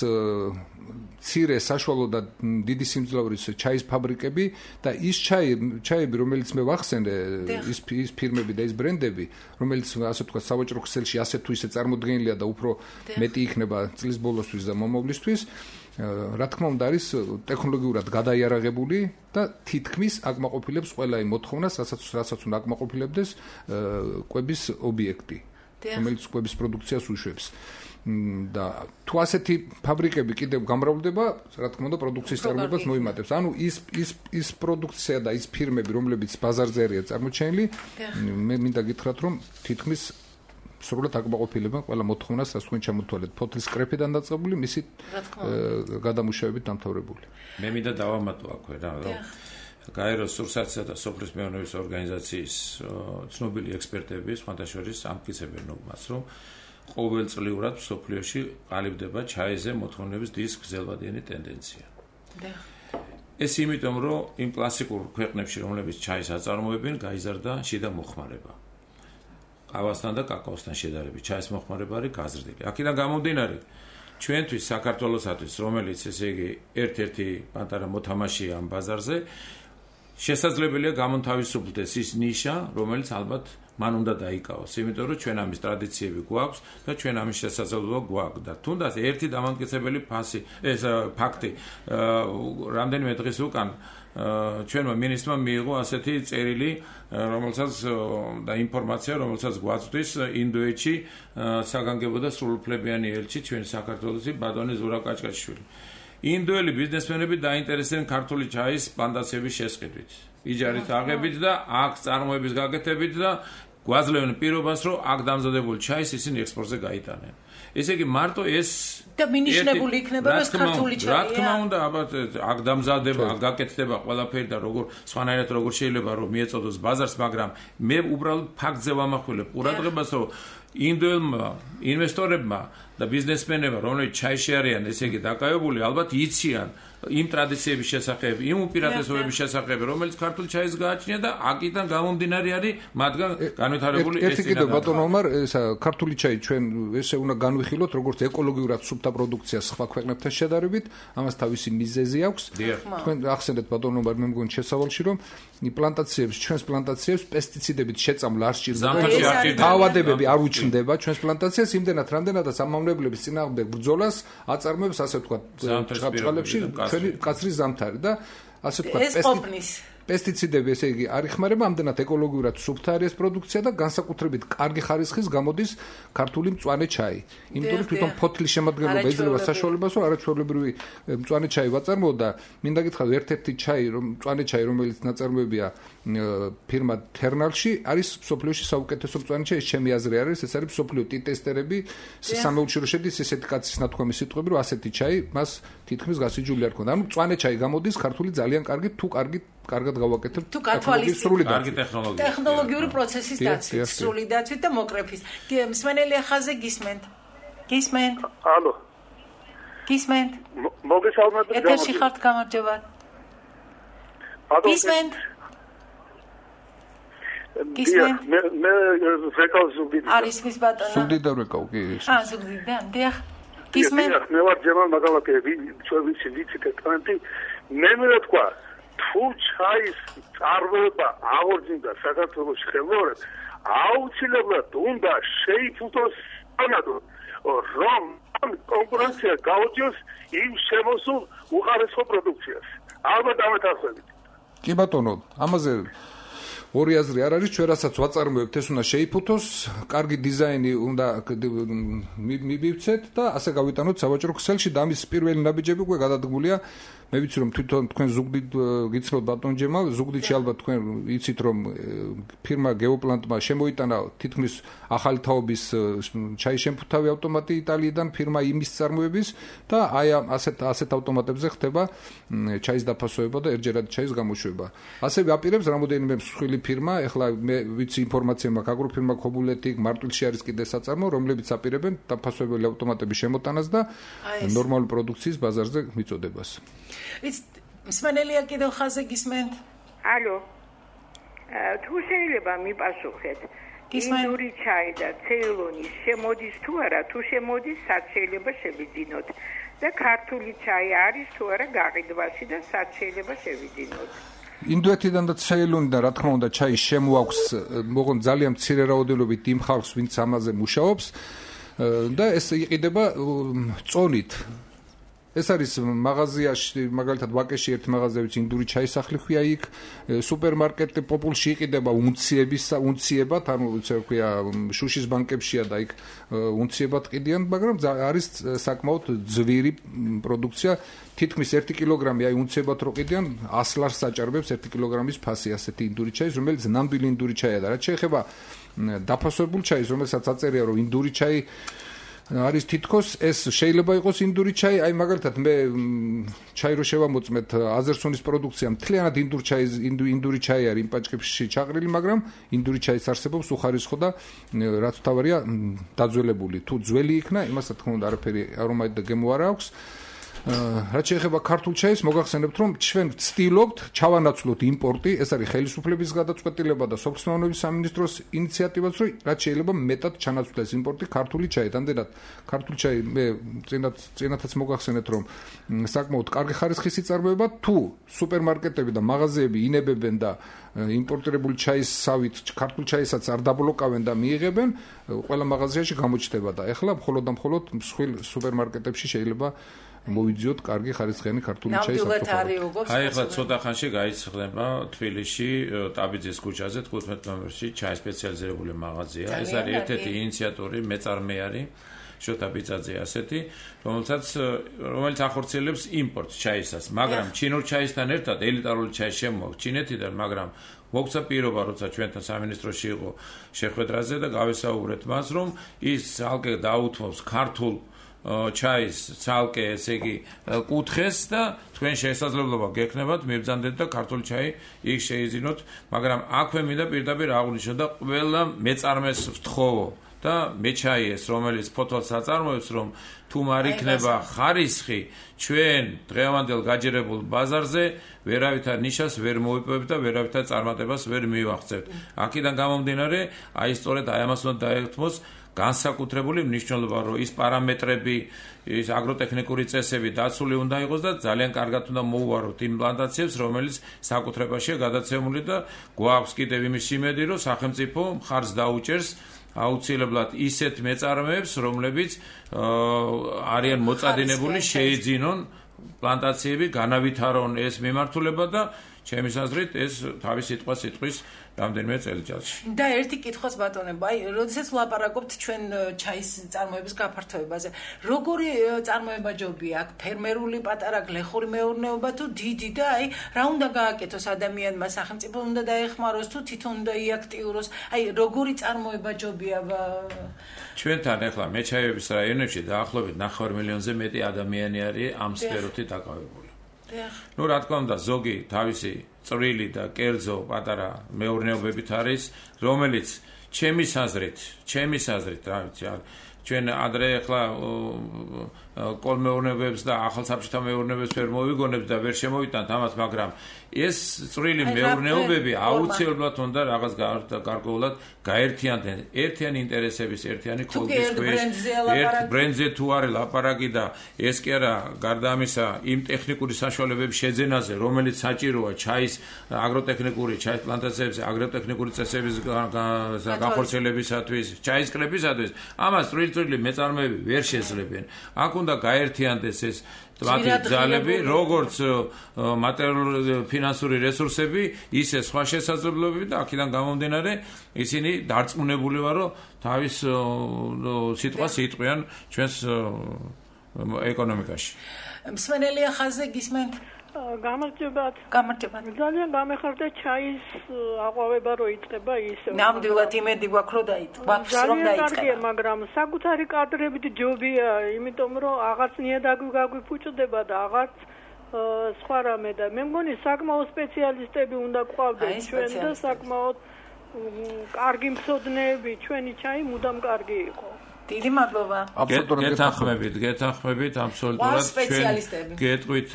მცირე საშუალო და დიდი სიმძლავრის ჩაის ფაბრიკები და ის ჩაი ჩაები რომელიც მე ვახსენე ის ის ფირმები და ის ბრენდები რომელიც ასე ვთქვათ სავაჭრო ქსელში ასე თუ ისე წარმოდგენილია და უფრო მეტი იქნება წლის ბოლოსთვის და მომავლისთვის რა თქმა უნდა არის ტექნოლოგიურად გადაიარაღებული და თითქმის აკმაყოფილებს ყველა იმ მოთხოვნას რასაც რასაც უნდა აკმაყოფილებდეს კვების ობიექტი რომელიც კვების პროდუქციას უშვებს და თუ ასეთი ფაბრიკები კიდევ გამრავლდება, რა თქმა უნდა, პროდუქციის წარმოებას მოიმატებს. ანუ ის ის ის პროდუქცია და ის ფირმები, რომლებიც ბაზარზე არიან წარმოჩენილი, მე მინდა გითხრათ, რომ თითქმის სრულად აკმაყოფილებენ ყველა მოთხოვნას, რაც თქვენ ჩამოთვალეთ, ფოთლის კრეფიდან დაწყებული, მისი გადამუშავებით დამთავრებული. მე მინდა დავამატო აქვე რა, რომ გაეროს სურსათისა და სოფლის მეურნეობის ორგანიზაციის ცნობილი ექსპერტები სხვადასხვა ამტკიცებენ მას, რომ ყოველწლიურად სოფლიოში ყალიბდება ჩაიზე მოთხოვნების დის გრძელვადიანი ტენდენცია. ეს იმიტომ, რომ იმ კლასიკურ ქვეყნებში, რომლებიც ჩაის აწარმოებენ, გაიზარდა შიდა მოხმარება. ყავასთან და კაკაოსთან შედარებით ჩაის მოხმარება არის გაზრდილი. აქედან გამომდინარე, ჩვენთვის საქართველოსათვის, რომელიც ესე იგი ერთ-ერთი პატარა მოთამაშეა ამ ბაზარზე, შესაძლებელია გამონთავისუფლდეს ის ნიშა, რომელიც ალბათ მან უნდა დაიკავოს, იმიტომ რომ ჩვენ ამის ტრადიციები გვაქვს და ჩვენ ამის შესაძლებლობა გვაქვს და თუნდაც ერთი დამამტკიცებელი ფასი ეს ფაქტი რამდენიმე დღის უკან ჩვენმა მინისტრმა მიიღო ასეთი წერილი, რომელსაც და ინფორმაცია, რომელსაც გვაწვდის ინდოეთში საგანგებო და სრულუფლებიანი ელჩი ჩვენ საქართველოსი ბატონი ზურაბ კაჭკაჭიშვილი. ინდოელი ბიზნესმენები დაინტერესდნენ ქართული ჩაის პლანტაციების შესყიდვით, იჯარით აღებით და აქ წარმოების გაკეთებით და გვაძლევენ პირობას, რომ აქ დამზადებული ჩაის ისინი ექსპორტზე გაიტანენ. ესე იგი მარტო ეს და მინიშნებული იქნება ეს ქართული ჩაია. რა თქმა უნდა, ალბათ აქ დამზადება, აქ გაკეთდება ყველაფერი და როგორ სხვანაირად როგორ შეიძლება რომ მიეწოდოს ბაზარს, მაგრამ მე უბრალოდ ფაქტზე ვამახვილებ ყურადღებას, რომ ინდოელმა ინვესტორებმა და ბიზნესმენებმა, რომლებიც ჩაიში არიან, ესე იგი დაკავებული, ალბათ იციან იმ ტრადიციების შესახებ, იმ უპირატესობების შესახებ, რომელიც ქართული ჩაის გააჩნია და აქედან გამომდინარე არის მათგან განვითარებული ეს ერთი კიდევ ბატონო ომარ, ესა ქართული ჩაი ჩვენ ესე უნდა განვიხილოთ, როგორც ეკოლოგიურად სუფთა პროდუქცია სხვა ქვეყნებთან შედარებით, ამას თავისი მიზეზი აქვს. თქვენ ახსენეთ ბატონო ომარ, მე მგონი შესავალში, რომ პლანტაციებს, ჩვენს პლანტაციებს პესტიციდებით შეწამლა არ სჭირდება. თავადებები არ უჩნდება ჩვენს პლანტაციას, იმდენად რამდენადაც ამამლებლების წინააღმდეგ ბრძოლას აწარმოებს, ასე ვთქვათ, ჭყალებში ჩვენი კაცრის ზამთარი და ასე ვთქვათ, პესტიციდები ესე იგი არ იხმარება, ამდენად ეკოლოგიურად სუფთა არის ეს პროდუქცია და განსაკუთრებით კარგი ხარისხის გამოდის ქართული მწვანე ჩაი. იმიტომ რომ თვითონ ფოთლის შემადგენლობა იძლევა საშუალებას, რომ არაჩვეულებრივი მწვანე ჩაი ვაწარმოო და მინდა გითხრათ, ერთ-ერთი ჩაი, რომ მწვანე ჩაი, რომელიც ნაწარმოებია ფირმა თერნალში, არის სოფლიოში საუკეთესო მწვანე ჩაი, ჩემი აზრი არის, ეს არის სოფლიო ტესტერები, სამეულში რო შედის ესეთი კაცის ნათქვამი სიტყვები, რომ ასეთი ჩაი მას თითქმის გასიჯული არ ქონდა. ანუ მწვანე ჩაი გამოდის ქართული ძალიან კარგი, თუ კარგი კარგად გავაკეთებთ თუ გათვალისწინებთ კარგი ტექნოლოგია ტექნოლოგიური პროცესის დაცვით, სრული დაცვით და მოკრეფის. მსმენელი ახალზე გისმენთ. გისმენთ? ალო. გისმენთ? მოგესალმებით. ეთერში ხართ, გამარჯობა. გისმენთ? გისმენთ? მე მე რეკავ ზუგდიდიდან. არის მის ბატონო. ზუგდიდიდან რეკავ კი. აა, ზუგდიდიდან. დიახ. გისმენთ? მე ვარ ჯემალ მაგალაკევი, ჩვენ ვიცი ვიცი ტექნანტი. მე მე თქვა თუ ჩაის წარმოება აღორძინდა საქართველოს ხელმოერად, აუცილებლად უნდა შეიფუთოს ანადო, რომ კონკურენცია გაუწიოს იმ შემოსულ უყარესო პროდუქციას. ალბათ ამეთახებით. კი ბატონო, ამაზე ორი აზრი არ არის, ჩვენ რასაც ვაწარმოებთ, ეს უნდა შეიფუთოს, კარგი დიზაინი უნდა მივიცეთ და ასე გავიტანოთ სავაჭრო ქსელში და ამის პირველი ნაბიჯები უკვე გადადგმულია მე ვიცი რომ თვითონ თქვენ ზუგდიდ გიცნობთ ბატონ ჯემალ, ზუგდიდში ალბათ თქვენ იცით რომ ფირმა გეოპლანტმა შემოიტანა თითქმის ახალი თაობის ჩაის შემფუთავი ავტომატი იტალიიდან ფირმა იმის წარმოების და აი ამ ასეთ ასეთ ავტომატებზე ხდება ჩაის დაფასება და ერთჯერადი ჩაის გამოშვება. ასევე აპირებს რამოდენიმე მსხვილი ფირმა, ეხლა მე ვიცი ინფორმაცია მაქვს აგროფირმა ქობულეთი, მარტვილში არის კიდე საწარმო, რომლებიც აპირებენ დაფასვებელი ავტომატების შემოტანას და ნორმალური პროდუქციის ბაზარზე მიწოდებას. It's მსმენელია კიდევ ხაზე გისმენთ? ალო. თუ შეიძლება მიპასუხეთ. ინდური ჩაი და ცეილონის შემოდის თუ არა, თუ შემოდის, სად შეიძლება შევიძინოთ? და ქართული ჩაი არის თუ არა გაყიდვაში და სად შეიძლება შევიძინოთ? ინდოეთიდან და ცეილონიდან რა თქმა უნდა ჩაი შემოაქვს, მოღონ ძალიან მცირე რაოდენობით იმ ხალხს, ვინც ამაზე მუშაობს და ეს იყიდება წონით. ეს არის მაღაზიაში, მაგალითად ვაკეში ერთ მაღაზიაში ინდური ჩაის სახლი ხია იქ, სუპერმარკეტ პოპულში იყიდება უნციების უნციებად, ანუ ისე ვქვია, შუშის ბანკებშია და იქ უნციებად ყიდიან, მაგრამ არის საკმაოდ ძვირი პროდუქცია, თითქმის ერთი კილოგრამი აი უნციებად რო ყიდიან, ას ლარს საჭარბებს ერთი კილოგრამის ფასი ასეთი ინდური ჩაის, რომელიც ნამდვილი ინდური ჩაია და რაც შეეხება დაფასებულ ჩაის, რომელსაც აწერია რომ ინდური ჩაი არის თითქოს ეს შეიძლება იყოს ინდური ჩაი, აი მაგალითად მე ჩაი რო შევამოწმეთ აზერსონის პროდუქცია, მთლიანად ინდური ჩაი ინდური ჩაი არის იმ პაჭკებში ჩაყრილი, მაგრამ ინდური ჩაის არსებობს უხარისხო და რაც თავარია დაძველებული. თუ ძველი იქნა, იმას რა თქმა უნდა არაფერი არომატი და გემო არ აქვს. რაც შეეხება ქართულ ჩაის, მოგახსენებთ რომ ჩვენ ვცდილობთ ჩავანაცვლოთ იმპორტი, ეს არის ხელისუფლების გადაწყვეტილება და სოფლის მეურნეობის სამინისტროს ინიციატივაც, რომ რაც შეიძლება მეტად ჩანაცვლეს იმპორტი ქართული ჩაი. ამდენად ქართული ჩაი მე წინათ წინათაც მოგახსენეთ რომ საკმაოდ კარგი ხარისხის იწარმოება, თუ სუპერმარკეტები და მაღაზიები ინებებენ და იმპორტირებული ჩაის სავით ქართულ ჩაისაც არ დაბლოკავენ და მიიღებენ, ყველა მაღაზიაში გამოჩნდება და ეხლა მხოლოდ და მხოლოდ მსხვილ სუპერმარკეტებში შეიძლება მოვიძიოთ კარგი ხარისხიანი ქართული ჩაის საფრთხე. აი ახლა ცოტა ხანში გაიცხდება თბილისში ტაბიძის ქუჩაზე თხუთმეტ ნომერში ჩაის სპეციალიზირებული მაღაზია. ეს არის ერთ-ერთი ინიციატორი, მეწარმე არის შოთა ბიძაძე ასეთი, რომელსაც რომელიც ახორციელებს იმპორტს ჩაისას, მაგრამ ჩინურ ჩაისთან ერთად ელიტარული ჩაი შემოაქვს ჩინეთიდან, მაგრამ მოგცა პირობა, როცა ჩვენთან სამინისტროში იყო შეხვედრაზე და გავესაუბრეთ მას, რომ ის ალკე დაუთმობს ქართულ ჩაის ცალკე ესე იგი კუთხეს და თქვენ შესაძლებლობა გექნებათ მიბრძანდეთ და ქართული ჩაი იქ შეიძინოთ, მაგრამ აქვე მინდა პირდაპირ აღვნიშნო და ყველა მეწარმეს ვთხოვო და მეჩაიეს, რომელიც ფოთოლს აწარმოებს, რომ თუ არ იქნება ხარისხი ჩვენ დღევანდელ გაჯერებულ ბაზარზე ვერავითარ ნიშას ვერ მოვიპოვებთ და ვერავითარ წარმატებას ვერ მივაღწევთ. აქედან გამომდინარე, აი სწორედ აი ამას უნდა დაეთმოს განსაკუთრებული მნიშვნელობა, რომ ის პარამეტრები, ის აგროტექნიკური წესები დაცული უნდა იყოს და ძალიან კარგად უნდა მოუვაროთ იმ პლანტაციებს, რომელიც საკუთრებაშია გადაცემული და გვაქვს კიდევ იმის იმედი, რომ სახელმწიფო მხარს დაუჭერს აუცილებლად ისეთ მეწარმეებს, რომლებიც არიან მოწადინებული, შეიძინონ პლანტაციები, განავითარონ ეს მიმართულება და ჩემი აზრით ეს თავის სიტყვას იტყვის რამდენიმე წელიწადში. და ერთი კითხვაც ბატონებო, აი, როდესაც ვლაპარაკობთ ჩვენ ჩაის წარმოების გაფართოებაზე, როგორი წარმოება ჯობია აქ, ფერმერული, პატარა, გლეხური მეურნეობა თუ დიდი და აი, რა უნდა გააკეთოს ადამიანმა, სახელმწიფო უნდა დაეხმაროს თუ თვითონ უნდა იაქტიუროს, აი, როგორი წარმოება ჯობია ჩვენთან ახლა მეჩაიების რაიონებში დაახლოებით ნახევარ მილიონზე მეტი ადამიანი არის ამ სფეროთი დაკავებული. ნუ რა თქმა უნდა ზოგი თავისი წვრილი და კერძო პატარა მეურნეობებით არის, რომელიც ჩემის აზრით, ჩემის აზრით, რა ვიცი, ჩვენ ადრე ახლა კოლმეურნეობებს და ახალსაბჭოთა მეურნეობებს ვერ მოვიგონებთ და ვერ შემოვიტანთ ამას, მაგრამ ეს წვრილი მეურნეობები აუცილებლად უნდა რაღაც გარკვეულად გაერთიანდნენ ერთიანი ინტერესების, ერთიანი ხობის ქვეშ, ერთ ბრენდზე თუ არის ლაპარაკი და ეს კი არა გარდა ამისა იმ ტექნიკური საშუალებების შეძენაზე, რომელიც საჭიროა ჩაის აგროტექნიკური, ჩაის პლანტაციების აგროტექნიკური წესების განხორციელებისათვის, ჩაის კრებისათვის, ამას წვრილი მეწარმეები ვერ შეძლებენ. აქ უნდა გაერთიანდეს ეს მათი ძალები, როგორც მატერიალური ფინანსური რესურსები, ისე სხვა შესაძლებლობები და აქედან გამომდინარე ისინი დარწმუნებული ვარ, რომ თავის სიტყვას იტყვიან ჩვენს ეკონომიკაში. მსმენელია ხაზზე გისმენთ? გამარჯობათ. გამარჯობათ. ძალიან გამეხარდა ჩაის აყვავება რო იწყება ისე. ნამდვილად იმედი გვაქვს რომ დაიწყება, რომ დაიწყება. ძალიან კარგია, მაგრამ საკუთარი კადრებით ჯობია, იმიტომ რომ აღარცნია დაგვიფუჭდება და აღარც სხვა რამე და მე მგონი საკმაოდ სპეციალისტები უნდა გვყავდეს ჩვენ და საკმაოდ კარგი მცოდნეები, ჩვენი ჩაი მუდამ კარგი იყო. დიდი მადლობა. გეთანხმებით, გეთანხმებით აბსოლუტურად ჩვენ გეტყვით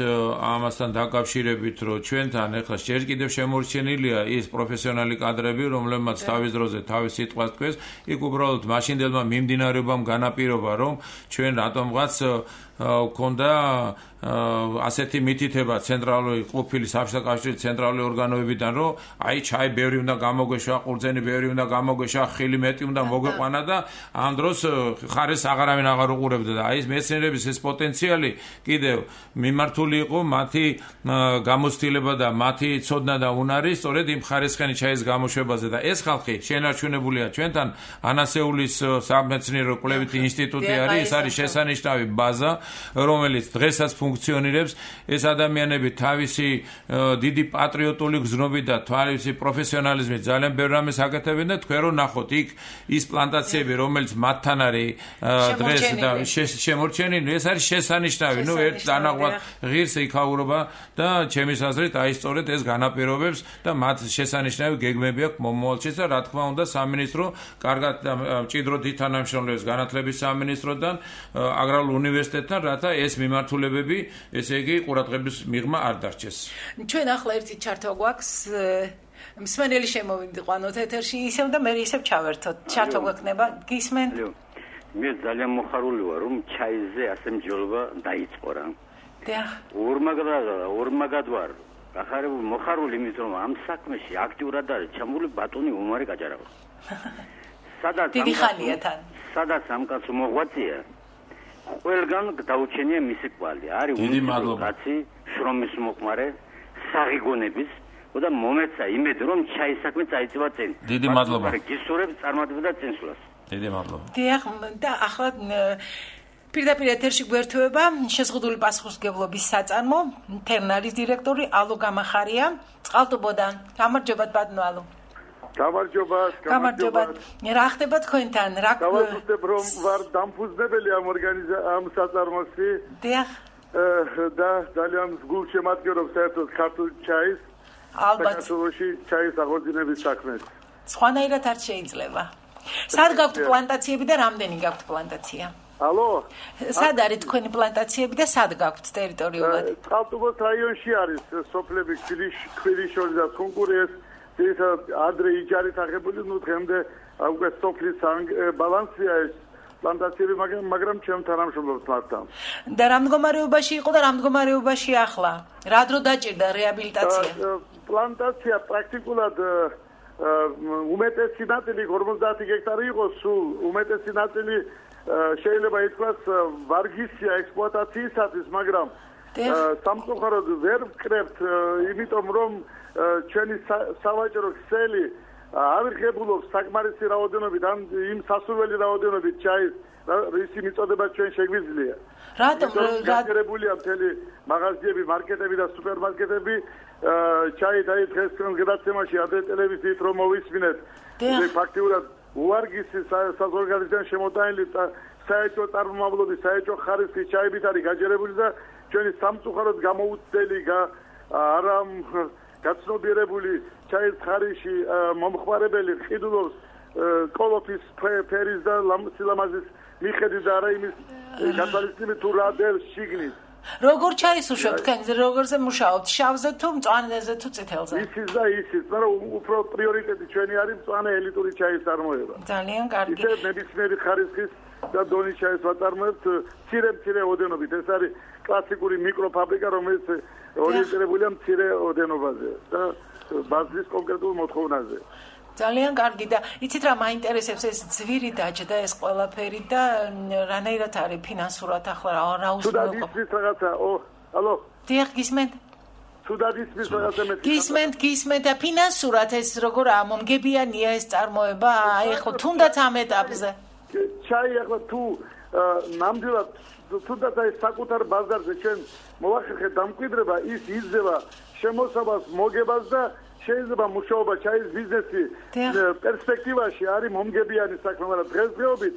ამასთან დაკავშირებით, რომ ჩვენთან ახლა ჯერ კიდევ შემორჩენილია ის პროფესიონალი კადრები, რომლებმაც თავის დროზე თავის სიტყვას თქვეს, იქ უბრალოდ მაშინდელმა მიმდინარეობამ განაპირობა, რომ ჩვენ რატომღაც ქონდა ასეთი მითითება ცენტრალური ყოფილი საბჭოთა კავშირის ცენტრალური ორგანოებიდან, რომ აი ჩაი ბევრი უნდა გამოგვეშვა, ყურძენი ბევრი უნდა გამოგვეშვა, ხილი მეტი უნდა მოგვეყვანა და ამ დროს ხარეს აღარავინ აღარ უყურებდა და აი ეს მეცნიერების ეს პოტენციალი კიდევ მიმართული იყო მათი გამოცდილება და მათი ცოდნა და უნარი სწორედ იმ ხარისხენი ჩაის გამოშვებაზე და ეს ხალხი შენარჩუნებულია ჩვენთან ანასეულის სამეცნიერო კვლევითი ინსტიტუტი არის, ეს არის შესანიშნავი ბაზა, რომელიც დღესაც ფუნქციონირებს. ეს ადამიანები თავისი დიდი პატრიოტული გზნობით და თავისი პროფესიონალიზმით ძალიან ბევრ რამეს აკეთებენ და თქვენ რო ნახოთ იქ ის პლანტაციები, რომელიც მათთან არის დღეს და შემორჩენილი, ეს არის შესანიშნავი. ნუ ერთ დანაღვად ღირს იქაურობა და ჩემის აზრით აი სწორედ ეს განაპირობებს და მათ შესანიშნავი გეგმები აქვს მომავალშიც და რა თქმა უნდა სამინისტრო კარგად და მჭიდროდ ითანამშრომლებს განათლების სამინისტროდან, აგრარულ უნივერსიტეტთან, რათა ეს მიმართულებები, ესე იგი, ყურადღების მიღმა არ დარჩეს. ჩვენ ახლა ერთი ჩართვა გვაქვს, მსმენელი შემოვიყვანოთ ეთერში, ისევ და მე ისევ ჩავერთოთ. ჩართვა გვექნება, გისმენთ? მე ძალიან მოხარული ვარ, რომ ჩაიზე ასე მსჯელობა დაიწყო რა. დიახ. ორმაგად ორმაგად ვარ. გახარებული მოხარული იმიტომ რომ ამ საქმეში აქტიურად არის ჩამული ბატონი უმარი გაჯარავა. სადაც დიდი ხანია თან. სადაც ამ კაცო მოღვაწეა ყველგან დაუჩენია მისი კვალი. არის უნიკალურაცი, შრომის მოყმარე, საღიგონების და მომეცა იმედი რომ ჩაის საქმე წაიწევა წინ. დიდი მადლობა. გისურვებ წარმატებდა წინსვლას. დიდი მადლობა. დიახ, და ახლა პირდაპირ ეთერში გვერდება შეზღუდული პასუხისმგებლობის საწარმო თერნარის დირექტორი ალო გამახარია წყალტუბოდან. გამარჯობათ ბატონო ალო. გამარჯობათ, გამარჯობათ. რა ხდება თქვენთან? რა გავაკეთებ რომ ვარ დამფუძნებელი ამ ორგანიზა ამ საწარმოში. დიახ. და ძალიან გულშემატკივრობს საერთოდ ქართულ ჩაის. ალბათ. საქართველოში ჩაის აღორძინების საქმეს. სხვანაირად არ შეიძლება. სად გაქვთ პლანტაციები და რამდენი გაქვთ პლანტაცია? ალო? სად არის თქვენი პლანტაციები და სად გაქვთ ტერიტორიულად? წყალტუბოს რაიონში არის სოფლები ქვილიშორი და კონკურენცია ის ადრე იჯარით აღებული, ნუ დღემდე უკვე სოფლის ბალანსია ეს პლანტაციები, მაგრამ მაგრამ ჩემ თანამშრომლობს მათთან. და რა მდგომარეობაში იყო და რა მდგომარეობაში ახლა? რა დრო დაჭირდა რეაბილიტაცია? პლანტაცია პრაქტიკულად უმეტესი ნაწილი ორმოცდაათი გექტარი იყო, სულ უმეტესი ნაწილი შეიძლება ითქვას ვარგისია ექსპლუატაციისათვის, მაგრამ სამწუხაროდ ვერ ვკრებთ, იმიტომ რომ ჩვენი სავაჭრო ქსელი აღიღებულობს საკმარისი რაოდენობით ან იმ სასურველი რაოდენობით ჩაის, რისი მიწოდება ჩვენ შეგვიძლია. რატომ გაგერებულია მთელი მაღაზიები, მარკეტები და სუპერმარკეტები ჩაი და დღეს გადაცემაში ადრე ტელევიზიით რომ მოვისმინეთ. ფაქტიურად უარგისი საზოგადოებიდან შემოტანილი საერთო წარმომავლობის საერთო ხარისხის ჩაებით არის გაჯერებული და ჩვენი სამწუხაროდ გამოუცდელი არა გაცნობიერებული ჩაის ხარისში მომხმარებელი ყიდულობს კოლოფის ფერის და სილამაზის მიხედვით და არა იმის გათვალისწინებით თუ რა დევს შიგნით. როგორ ჩაისუშვებთ თქვენ? როგორზე მუშაობთ? შავზე თუ მწვანეზე თუ წითელზე? ისიც და ისიც, მაგრამ უფრო პრიორიტეტი ჩვენი არის მწვანე ელიტური ჩაის წარმოება. ძალიან კარგი. ისე ნებისმიერი ხარისხის და დონის ჩაის ვაწარმოებთ მცირე-მცირე ოდენობით. ეს არის კლასიკური მიკროფაბრიკა, რომელიც ორიენტირებულია მცირე ოდენობაზე და ბაზრის კონკრეტულ მოთხოვნაზე. ძალიან კარგი და იცით რა მაინტერესებს ეს ძვირი დაჭდა ეს ყველაფერი და რანაირად არის ფინანსურად ახლა რა უზრუნველყოფა? თუ დადის რაღაცა, ო, ალო. დიახ, გისმენთ? თუ დადის რაღაცა მე. გისმენთ, გისმენთ და ფინანსურად ეს როგორ ამომგებიანია ეს წარმოება? აი ხო თუნდაც ამ ეტაპზე. ჩაი ახლა თუ ნამდვილად თუნდაც აი საკუთარ ბაზარზე ჩვენ მოვახერხეთ დამკვიდრება, ის იძლევა შემოსავას, მოგებას და შეიძლება მუშაობა ჩაის ბიზნესი პერსპექტივაში არის მომგებიანი საქმე, მაგრამ დღესდღეობით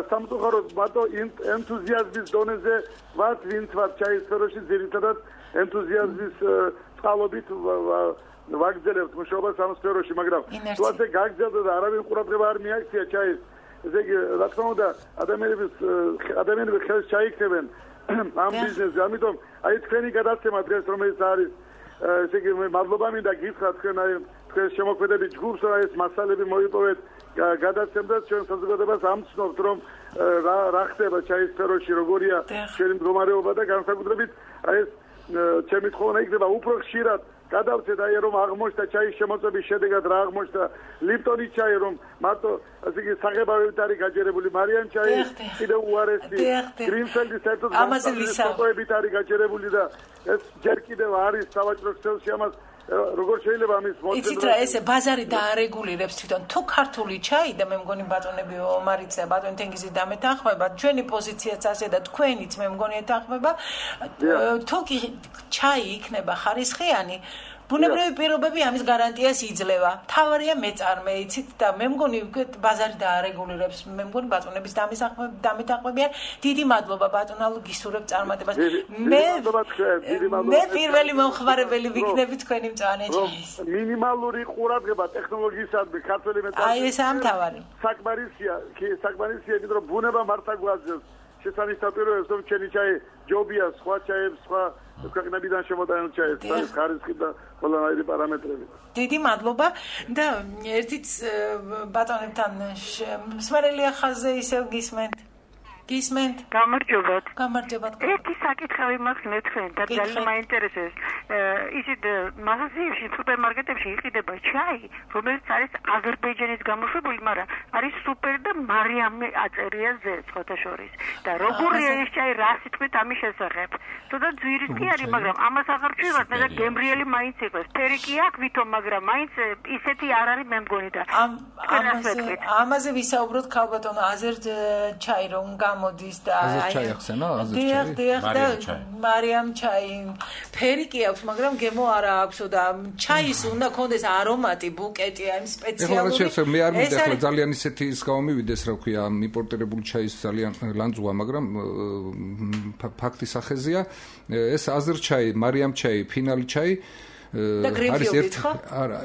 სამწუხაროდ მარტო ენთუზიაზმის დონეზე ვართ, ვინც ვართ ჩაის სფეროში ძირითადად ენთუზიაზმის წყალობით ვაგრძელებთ მუშაობას ამ სფეროში, მაგრამ თუ ასე გაგრძელდა და არავინ ყურადღება არ მიაქცია ჩაის, ესე იგი რა თქმა უნდა ადამიანების ადამიანები ხელს ჩაიქცევენ ამ ბიზნესზე, ამიტომ აი თქვენი გადაცემა დღეს რომელიც არის ესე იგი მე მადლობა მინდა გითხრათ თქვენ აი თქვენ შემოქმედებით ჯგუფს რა ეს მასალები მოიპოვეთ გადაცემდათ ჩვენ საზოგადოებას ამცნობთ რომ რა ხდება ჩაის სფეროში როგორია ჩვენი მდგომარეობა და განსაკუთრებით აი ეს ჩემი თხოვნა იქნება უფრო ხშირად გადავწეთ აი რომ აღმოჩნდა ჩაის შემოწმების შედეგად რა აღმოჩნდა ლიპტონის ჩაი რომ მარტო ასე იგი საღებავებით არის გაჯერებული მარიან ჩაი კიდევ უარესი გრინფელდის საერთოდ ამაზეებით არის გაჯერებული და ეს ჯერ კიდევ არის სავაჭრო ქსელში ამას როგორ შეიძლება ამის მოწმება იცით რა ესე ბაზარი დაარეგულირებს თვითონ თუ ქართული ჩაი და მე მგონი ბატონები ომარიცა ბატონი თენგიზი დამეთანხმება ჩვენი პოზიციაც ასე და თქვენიც მე მგონი ეთანხმება თუ კი ჩაი იქნება ხარისხიანი ბუნებრივი პირობები ამის გარანტიას იძლევა. თავარია მეწარმე, იცით და მე მგონი ბაზარი დაარეგულირებს. მე მგონი ბატონების დამეთანხმებიან. დიდი მადლობა ბატონალო გისურვებ წარმატებას. მე მე პირველი მომხმარებელი ვიქნები თქვენი მწვანე ჩაის. მინიმალური ყურადღება ტექნოლოგიისადმი ქართველი მეწარმე. აი ეს ამთავარი. საკმარისია, საკმარისია, იმიტომ რომ ბუნება მართა გვაძლევს. შესანიშნავია რომ ჩვენი ჩაი ჯობია სხვა ჩაებს, სხვა ქვეყნებიდან შემოდაინო ჩაის, არის ხარისხი და ყველანაირი პარამეტრები. დიდი მადლობა და ერთიც ბატონებთან მსმენელი ახალზე ისევ გისმენთ. გისმენთ. გამარჯობათ. გამარჯობათ. ერთი საკითხი მაქვს მე თქვენ და ძალიან მაინტერესებს. ისეთ მაღაზიებში, სუპერმარკეტებში იყიდება ჩაი, რომელიც არის აზერბაიჯანის გამოშვებული, მაგრამ არის სუპერ და მარიამი აწერია ზე სხვათა შორის. და როგორია ეს ჩაი, რა სიტყვით ამის შესახებ? თუნდა ძვირის კი არის, მაგრამ ამას აღარ ვჩვევთ, მე და გემრიელი მაინც იყოს. ფერი კი აქვს ვითომ, მაგრამ მაინც ისეთი არ არის მე მგონი და ამაზე ამაზე ვისაუბროთ ქალბატონო აზერ ჩაი რომ გამოდის და აზერ ჩაი ახსენა აზერ ჩაი დიახ და მარიამ ჩაი ფერი კი აქვს მაგრამ გემო არა აქვს და ჩაის უნდა კონდეს არომატი ბუკეტი აი სპეციალური ეხლა მე არ მინდა ახლა ძალიან ისეთი ის გამომივიდეს რა ქვია იმპორტირებული ჩაის ძალიან ლანძღვა მაგრამ ფაქტი სახეზია ეს აზერ ჩაი მარიამ ჩაი ფინალი ჩაი არის ერთ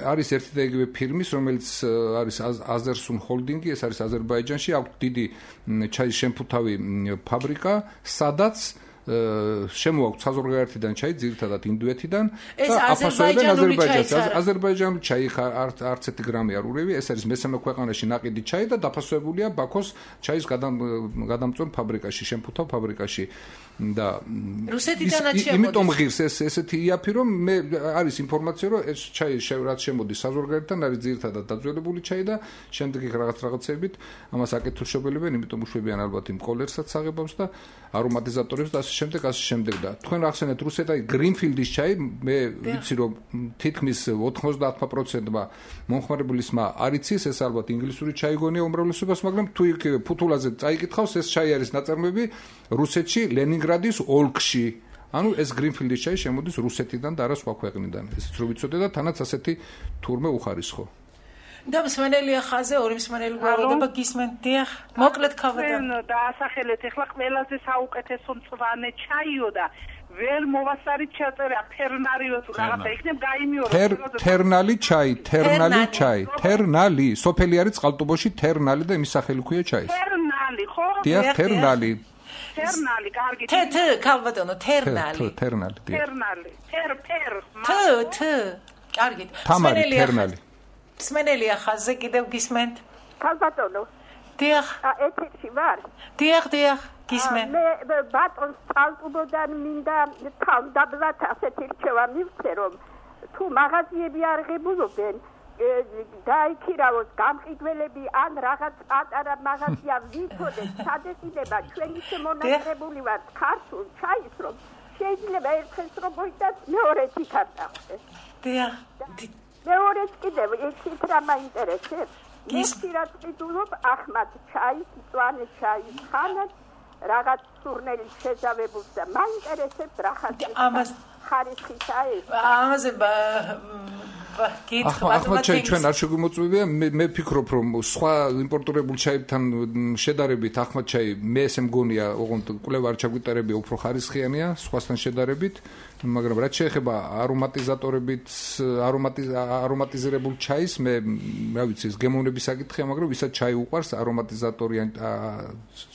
არის ერთი და იგივე ფირმის რომელიც არის აზერსუნ ჰოლდინგი ეს არის აზერბაიჯანში აქვს დიდი ჩაის შემფუთავი ფაბრიკა სადაც შემოაქვს საზღვარგარეთიდან ჩაი ძირითადად ინდოეთიდან და აფასოებენ აზერბაიჯანს აზერბაიჯანული ჩაი არც ერთი გრამი არ ურევია ეს არის მესამე ქვეყანაში ნაყიდი ჩაი და დაფასოებულია ბაქოს ჩაის გადამწვენ ფაბრიკაში შემფუთავ ფაბრიკაში და რუსეთიდანაც შემოდის იმიტომ ღირს ეს ესეთი იაფი რომ მე არის ინფორმაცია რომ ეს ჩაი რაც შემოდის საზღვარგარეთიდან არის ძირითადად დაძველებული ჩაი და შემდეგ იქ რაღაც რაღაცებით ამას აკეთილშობელებენ იმიტომ უშვებიან ალბათ იმ კოლერსაც აღებავს და არომატიზატორებს და შემდეგ ასე შემდეგ და თქვენ ახსენეთ რუსეთაი გრინფილდის ჩაი მე ვიცი რომ თითქმის ოთხმოცდაათ პროცენტმა მომხმარებლისმა არ იცის ეს ალბათ ინგლისური ჩაი გონია უმრავლესობას მაგრამ თუ იქ ფუთულაზე წაიკითხავს ეს ჩაი არის ნაწარმოები რუსეთში ლენინგრადის ოლქში ანუ ეს გრინფილდის ჩაი შემოდის რუსეთიდან და არა სხვა ქვეყნიდან ესეც რო ვიცოდე და თანაც ასეთი თურმე უხარისხო და მსმენელი ახაზე ორი მსმენელი გვაქვს გისმენთ დიახ მოკლედ ქალბატონო და ასახელეთ ეხლა ყველაზე საუკეთესო მწვანე ჩაიო და ვერ მოვასარით ჩაწერა ფერნარიო თუ რაღაცა იქნებ გაიმიორო თერნალი ჩაი თერნალი ჩაი თერნალი სოფელი არის წყალტუბოში თერნალი და იმის სახელი ქვია ჩაის თერნალი ხო დიახ თერნალი თერნალი კარგი თე თე ქალბატონო თერნალი თერნალი თერნალი თერ თერ თე თე კარგი თამარი თერნალი მსმენელი ახაზე კიდევ გისმენთ ქალბატონო დიახ ეთერში ვარ დიახ დიახ გისმენთ მე ბატონს წყალტუბოდან მინდა თავდაბლად ასეთი რჩევა მივცე რომ თუ მაღაზიები არ ღებულობენ დაიქირავოს გამყიდველები ან რაღაც პატარა მაღაზია ვიცოდეთ სადეცილება ჩვენი შემონახებული ვართ ქართულ ჩაის რომ შეიძლება ერთხელ რომ მოიტანს მეორეც იქ არ დახდეს დიახ მეორეც კიდევ ისიც რა მაინტერესებს მე ხშირად ვიტყობ ახმად ჩაის, მწვანე ჩაის ხანად რაღაც სურნელი შეძავებულს და მაინტერესებს რა ხარისხის ხარისხისა ეს. ამაზე ახლა ჩვენ არ შეგვიმოწვევია მე ვფიქრობ რომ სხვა იმპორტირებულ ჩაებთან შედარებით ახლა ჩაი მე ესე მგონია ოღონდ კვლევა არ ჩაგვიტარებია უფრო ხარისხიანია სხვასთან შედარებით მაგრამ რაც შეეხება არომატიზატორებით არომატიზირებულ ჩაის მე რა ვიცი ეს გემოვნების საკითხია მაგრამ ვისაც ჩაი უყვარს არომატიზატორიან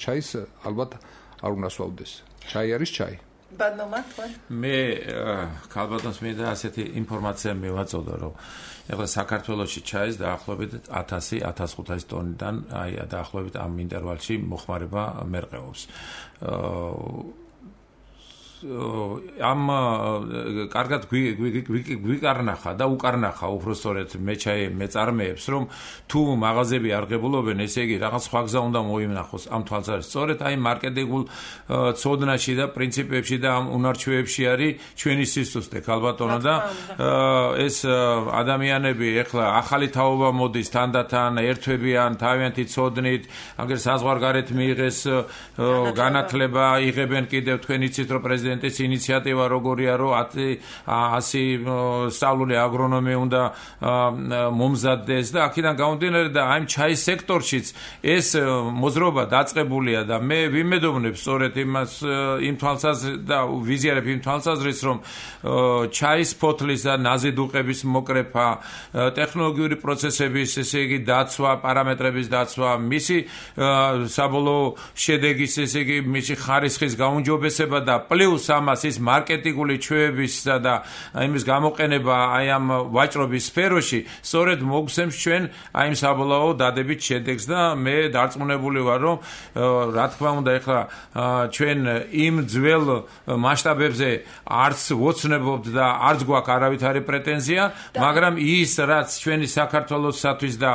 ჩაის ალბათ არ უნდა სვავდეს ჩაი არის ჩაი მე ქალბატონს მინდა ასეთი ინფორმაცია მივაწოდო რომ ეხლა საქართველოში ჩაის დაახლოებით ათასი ათასხუთასი ტონიდან აი დაახლოებით ამ ინტერვალში მოხმარება მერყეობს ამ კარგად გვიკარნახა და უკარნახა უბრალოდ მე ჩაი მეწარმეებს რომ თუ მაღაზიები არ ღებულობენ ესე იგი რაღაც სხვა გზა უნდა მოიმნახოს ამ თვალსაზრისით სწორედ აი მარკეტინგულ ცოდნაში და პრინციპებში და ამ უნარჩვევებში არის ჩვენი სისუსტე ქალბატონო და ეს ადამიანები ეხლა ახალი თაობა მოდის თანდათან ერთვებიან თავიანთი ცოდნით აგერ საზღვარგარეთ მიიღეს განათლება იღებენ კიდევ თქვენ იცით რომ პრეზიდენტი ეს ინიციატივა როგორია რომ ასი სწავლული აგრონომი უნდა მომზადდეს და აქედან გამომდინარე და აი ჩაის სექტორშიც ეს მოძრაობა დაწყებულია და მე ვიმედოვნებ სწორედ იმას იმ თვალსაზრისით და ვიზიარებ იმ თვალსაზრისით რომ ჩაის ფოთლის და ნაზიდუყების მოკრეფა ტექნოლოგიური პროცესების ესე იგი დაცვა პარამეტრების დაცვა მისი საბოლოო შედეგის ესე იგი მისი ხარისხის გაუმჯობესება და პლუს ამას ის მარკეტინგული ჩვევებისა და იმის გამოყენება აი ამ ვაჭრობის სფეროში სწორედ მოგცემს ჩვენ აი იმ საბოლოო დადებით შედეგს და მე დარწმუნებული ვარ რომ რა თქმა უნდა ეხლა ჩვენ იმ ძველ მასშტაბებზე არც ვოცნებობთ და არც გვაქვს არავითარი პრეტენზია მაგრამ ის რაც ჩვენი საქართველოსთვის და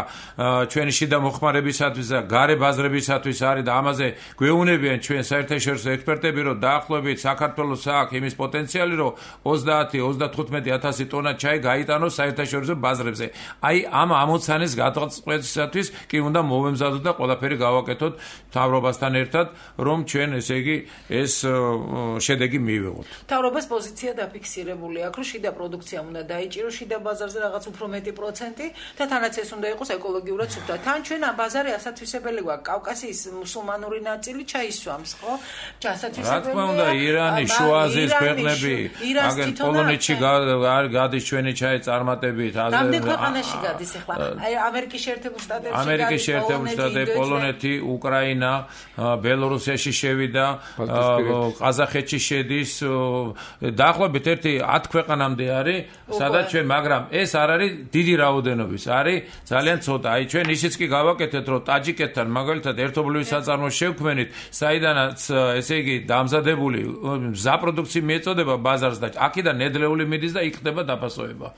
ჩვენი შიდა მოხმარებისათვის და გარე ბაზრებისათვის არის და ამაზე გვეუბნებიან ჩვენ საერთაშორისო ექსპერტები რომ დაახლოებით საქართველოს აქვს იმის პოტენციალი რომ ოცდაათი ოცდათხუთმეტი ათასი ტონა ჩაი გაიტანოს საერთაშორისო ბაზრებზე. აი ამ ამოცანეს გადაწყვეტისათვის კი უნდა მოვემზადოთ და ყველაფერი გავაკეთოთ მთავრობასთან ერთად რომ ჩვენ ესე იგი ეს შედეგი მივიღოთ. მთავრობას პოზიცია დაფიქსირებული აქვს რომ შიდა პროდუქცია უნდა დაიჭიროს შიდა ბაზარზე რაღაც უფრო მეტი პროცენტი და თანაც ეს უნდა იყოს ეკოლოგიურად სუფთა. თან ჩვენ ამ ბაზარი ასათვისებელი გვაქვს კავკასიის მუსულმანური ნაწილი ჩაისვამს ხო? ასათვისებელია. რა თქმა უნდა ირანი შუა აზიის ქვეყნები აგენ პოლონეთში გადის ჩვენი ჩაი წარმატებით რამდენ ქვეყანაში გადის ახლა აი ამერიკის შეერთებულ შტატებში ამერიკის შეერთებულ შტატებში პოლონეთი უკრაინა ბელორუსიაში შევიდა ყაზახეთში შედის დაახლოებით ერთი ათი ქვეყანამდე არის სადაც ჩვენ მაგრამ ეს არ არის დიდი რაოდენობის არის ძალიან ცოტა აი ჩვენ ისიც კი გავაკეთეთ რომ ტაჯიკეთთან მაგალითად ერთობლივი საწარმო შევქმნით საიდანაც ესე იგი დამზადებული მზა პროდუქცია მიეწოდება ბაზარს და აქედან ნედლეული მიდის და იქ ხდება დაფასოება.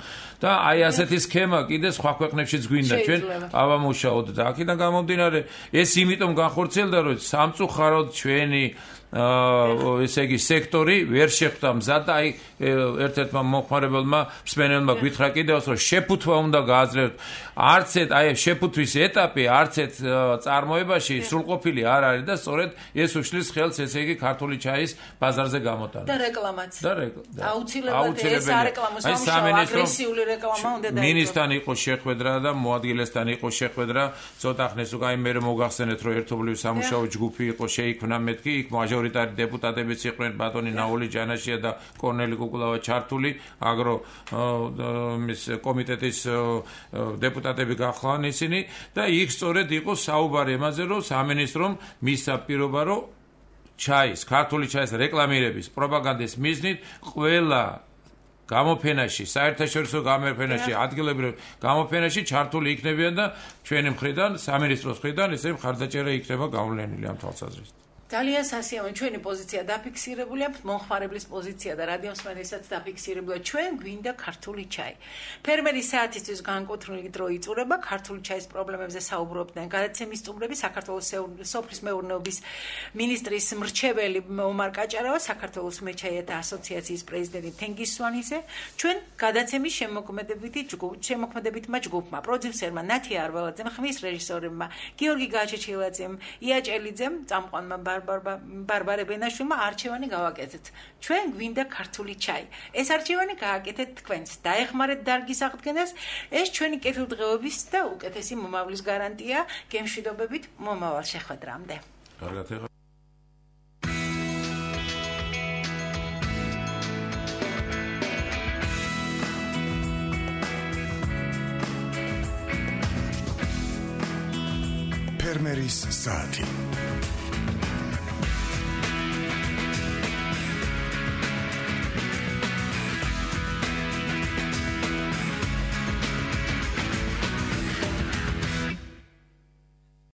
და აი ასეთი სქემა კიდე სხვა ქვეყნებშიც გვინდა ჩვენ ავამუშაოთ და აქედან გამომდინარე ეს იმიტომ განხორციელდა რომ სამწუხაროდ ჩვენი ესე იგი სექტორი ვერ შეხვდა მზად და აი ერთ-ერთმა მოხმარებელმა მსმენელმა გითხრა კიდევაც რომ შეფუთვა უნდა გააძლევთ არც ეს აი შეფუთვის ეტაპი არც ეს წარმოებაში სრულყოფილი არ არის და სწორედ ეს უშლის ხელს ესე იგი ქართული ჩაის ბაზარზე გამოტანა და რეკლამაც და რეკლამა აუცილებლად ეს არეკლამოს ამუშავა აგრესიული რეკლამა უნდა დაიწყოს მინისთან იყო შეხვედრა და მოადგილესთან იყო შეხვედრა ცოტა ხნის უკვე აი მე მოგახსენეთ რომ ერთობლივი სამუშაო ჯგუფი იყო შეიქმნა მეთქი იქ მაჟორიტარი დეპუტატებიც იყვნენ ბატონი ნაული ჯანაშია და კორნელი კუკულავა ჩართული აგრო მის კომიტეტის დეპუტატები გახლავენ ისინი და იქ სწორედ იყო საუბარი ამაზე რომ სამინისტრომ მისცა პირობა რომ ჩაის ქართული ჩაის რეკლამირების პროპაგანდის მიზნით ყველა გამოფენაში საერთაშორისო გამოფენაში ადგილობრივ გამოფენაში ჩართული იქნებიან და ჩვენი მხრიდან სამინისტროს მხრიდან ესე მხარდაჭერა იქნება გავლენილი ამ თვალსაზრისით ძალიან სასიამოვნო ჩვენი პოზიცია დაფიქსირებულია, მომხმარებლის პოზიცია და რადიომსმენელსაც დაფიქსირებულია. ჩვენ გვინდა ქართული ჩაი. ფერმერის საათისთვის განკუთვნილი დრო იწურება, ქართული ჩაის პრობლემებზე საუბრობდნენ გადაცემის სტუმრები, საქართველოს სოფლის მეურნეობის მინისტრის მრჩეველი ომარ კაჭარავა, საქართველოს მეჩაიეთა ასოციაციის პრეზიდენტი თენგიზ სვანიძე, ჩვენ გადაცემის შემოქმედებითი შემოქმედებითმა ჯგუფმა, პროდიუსერმა ნათია არველაძემ, ხმის რეჟისორებმა გიორგი გაჩეჩილაძემ, იაჭელიძემ, წამყვანმა ბარბარე ბენაშვილმა არჩევანი გავაკეთეთ. ჩვენ გვინდა ქართული ჩაი. ეს არჩევანი გააკეთეთ თქვენს. დაეხმარეთ დარგის აღდგენას. ეს ჩვენი კეთილდღეობის და უკეთესი მომავლის გარანტია. გემშვიდობებით მომავალ შეხვედრამდე. კარგად ეხა ფერმერის საათი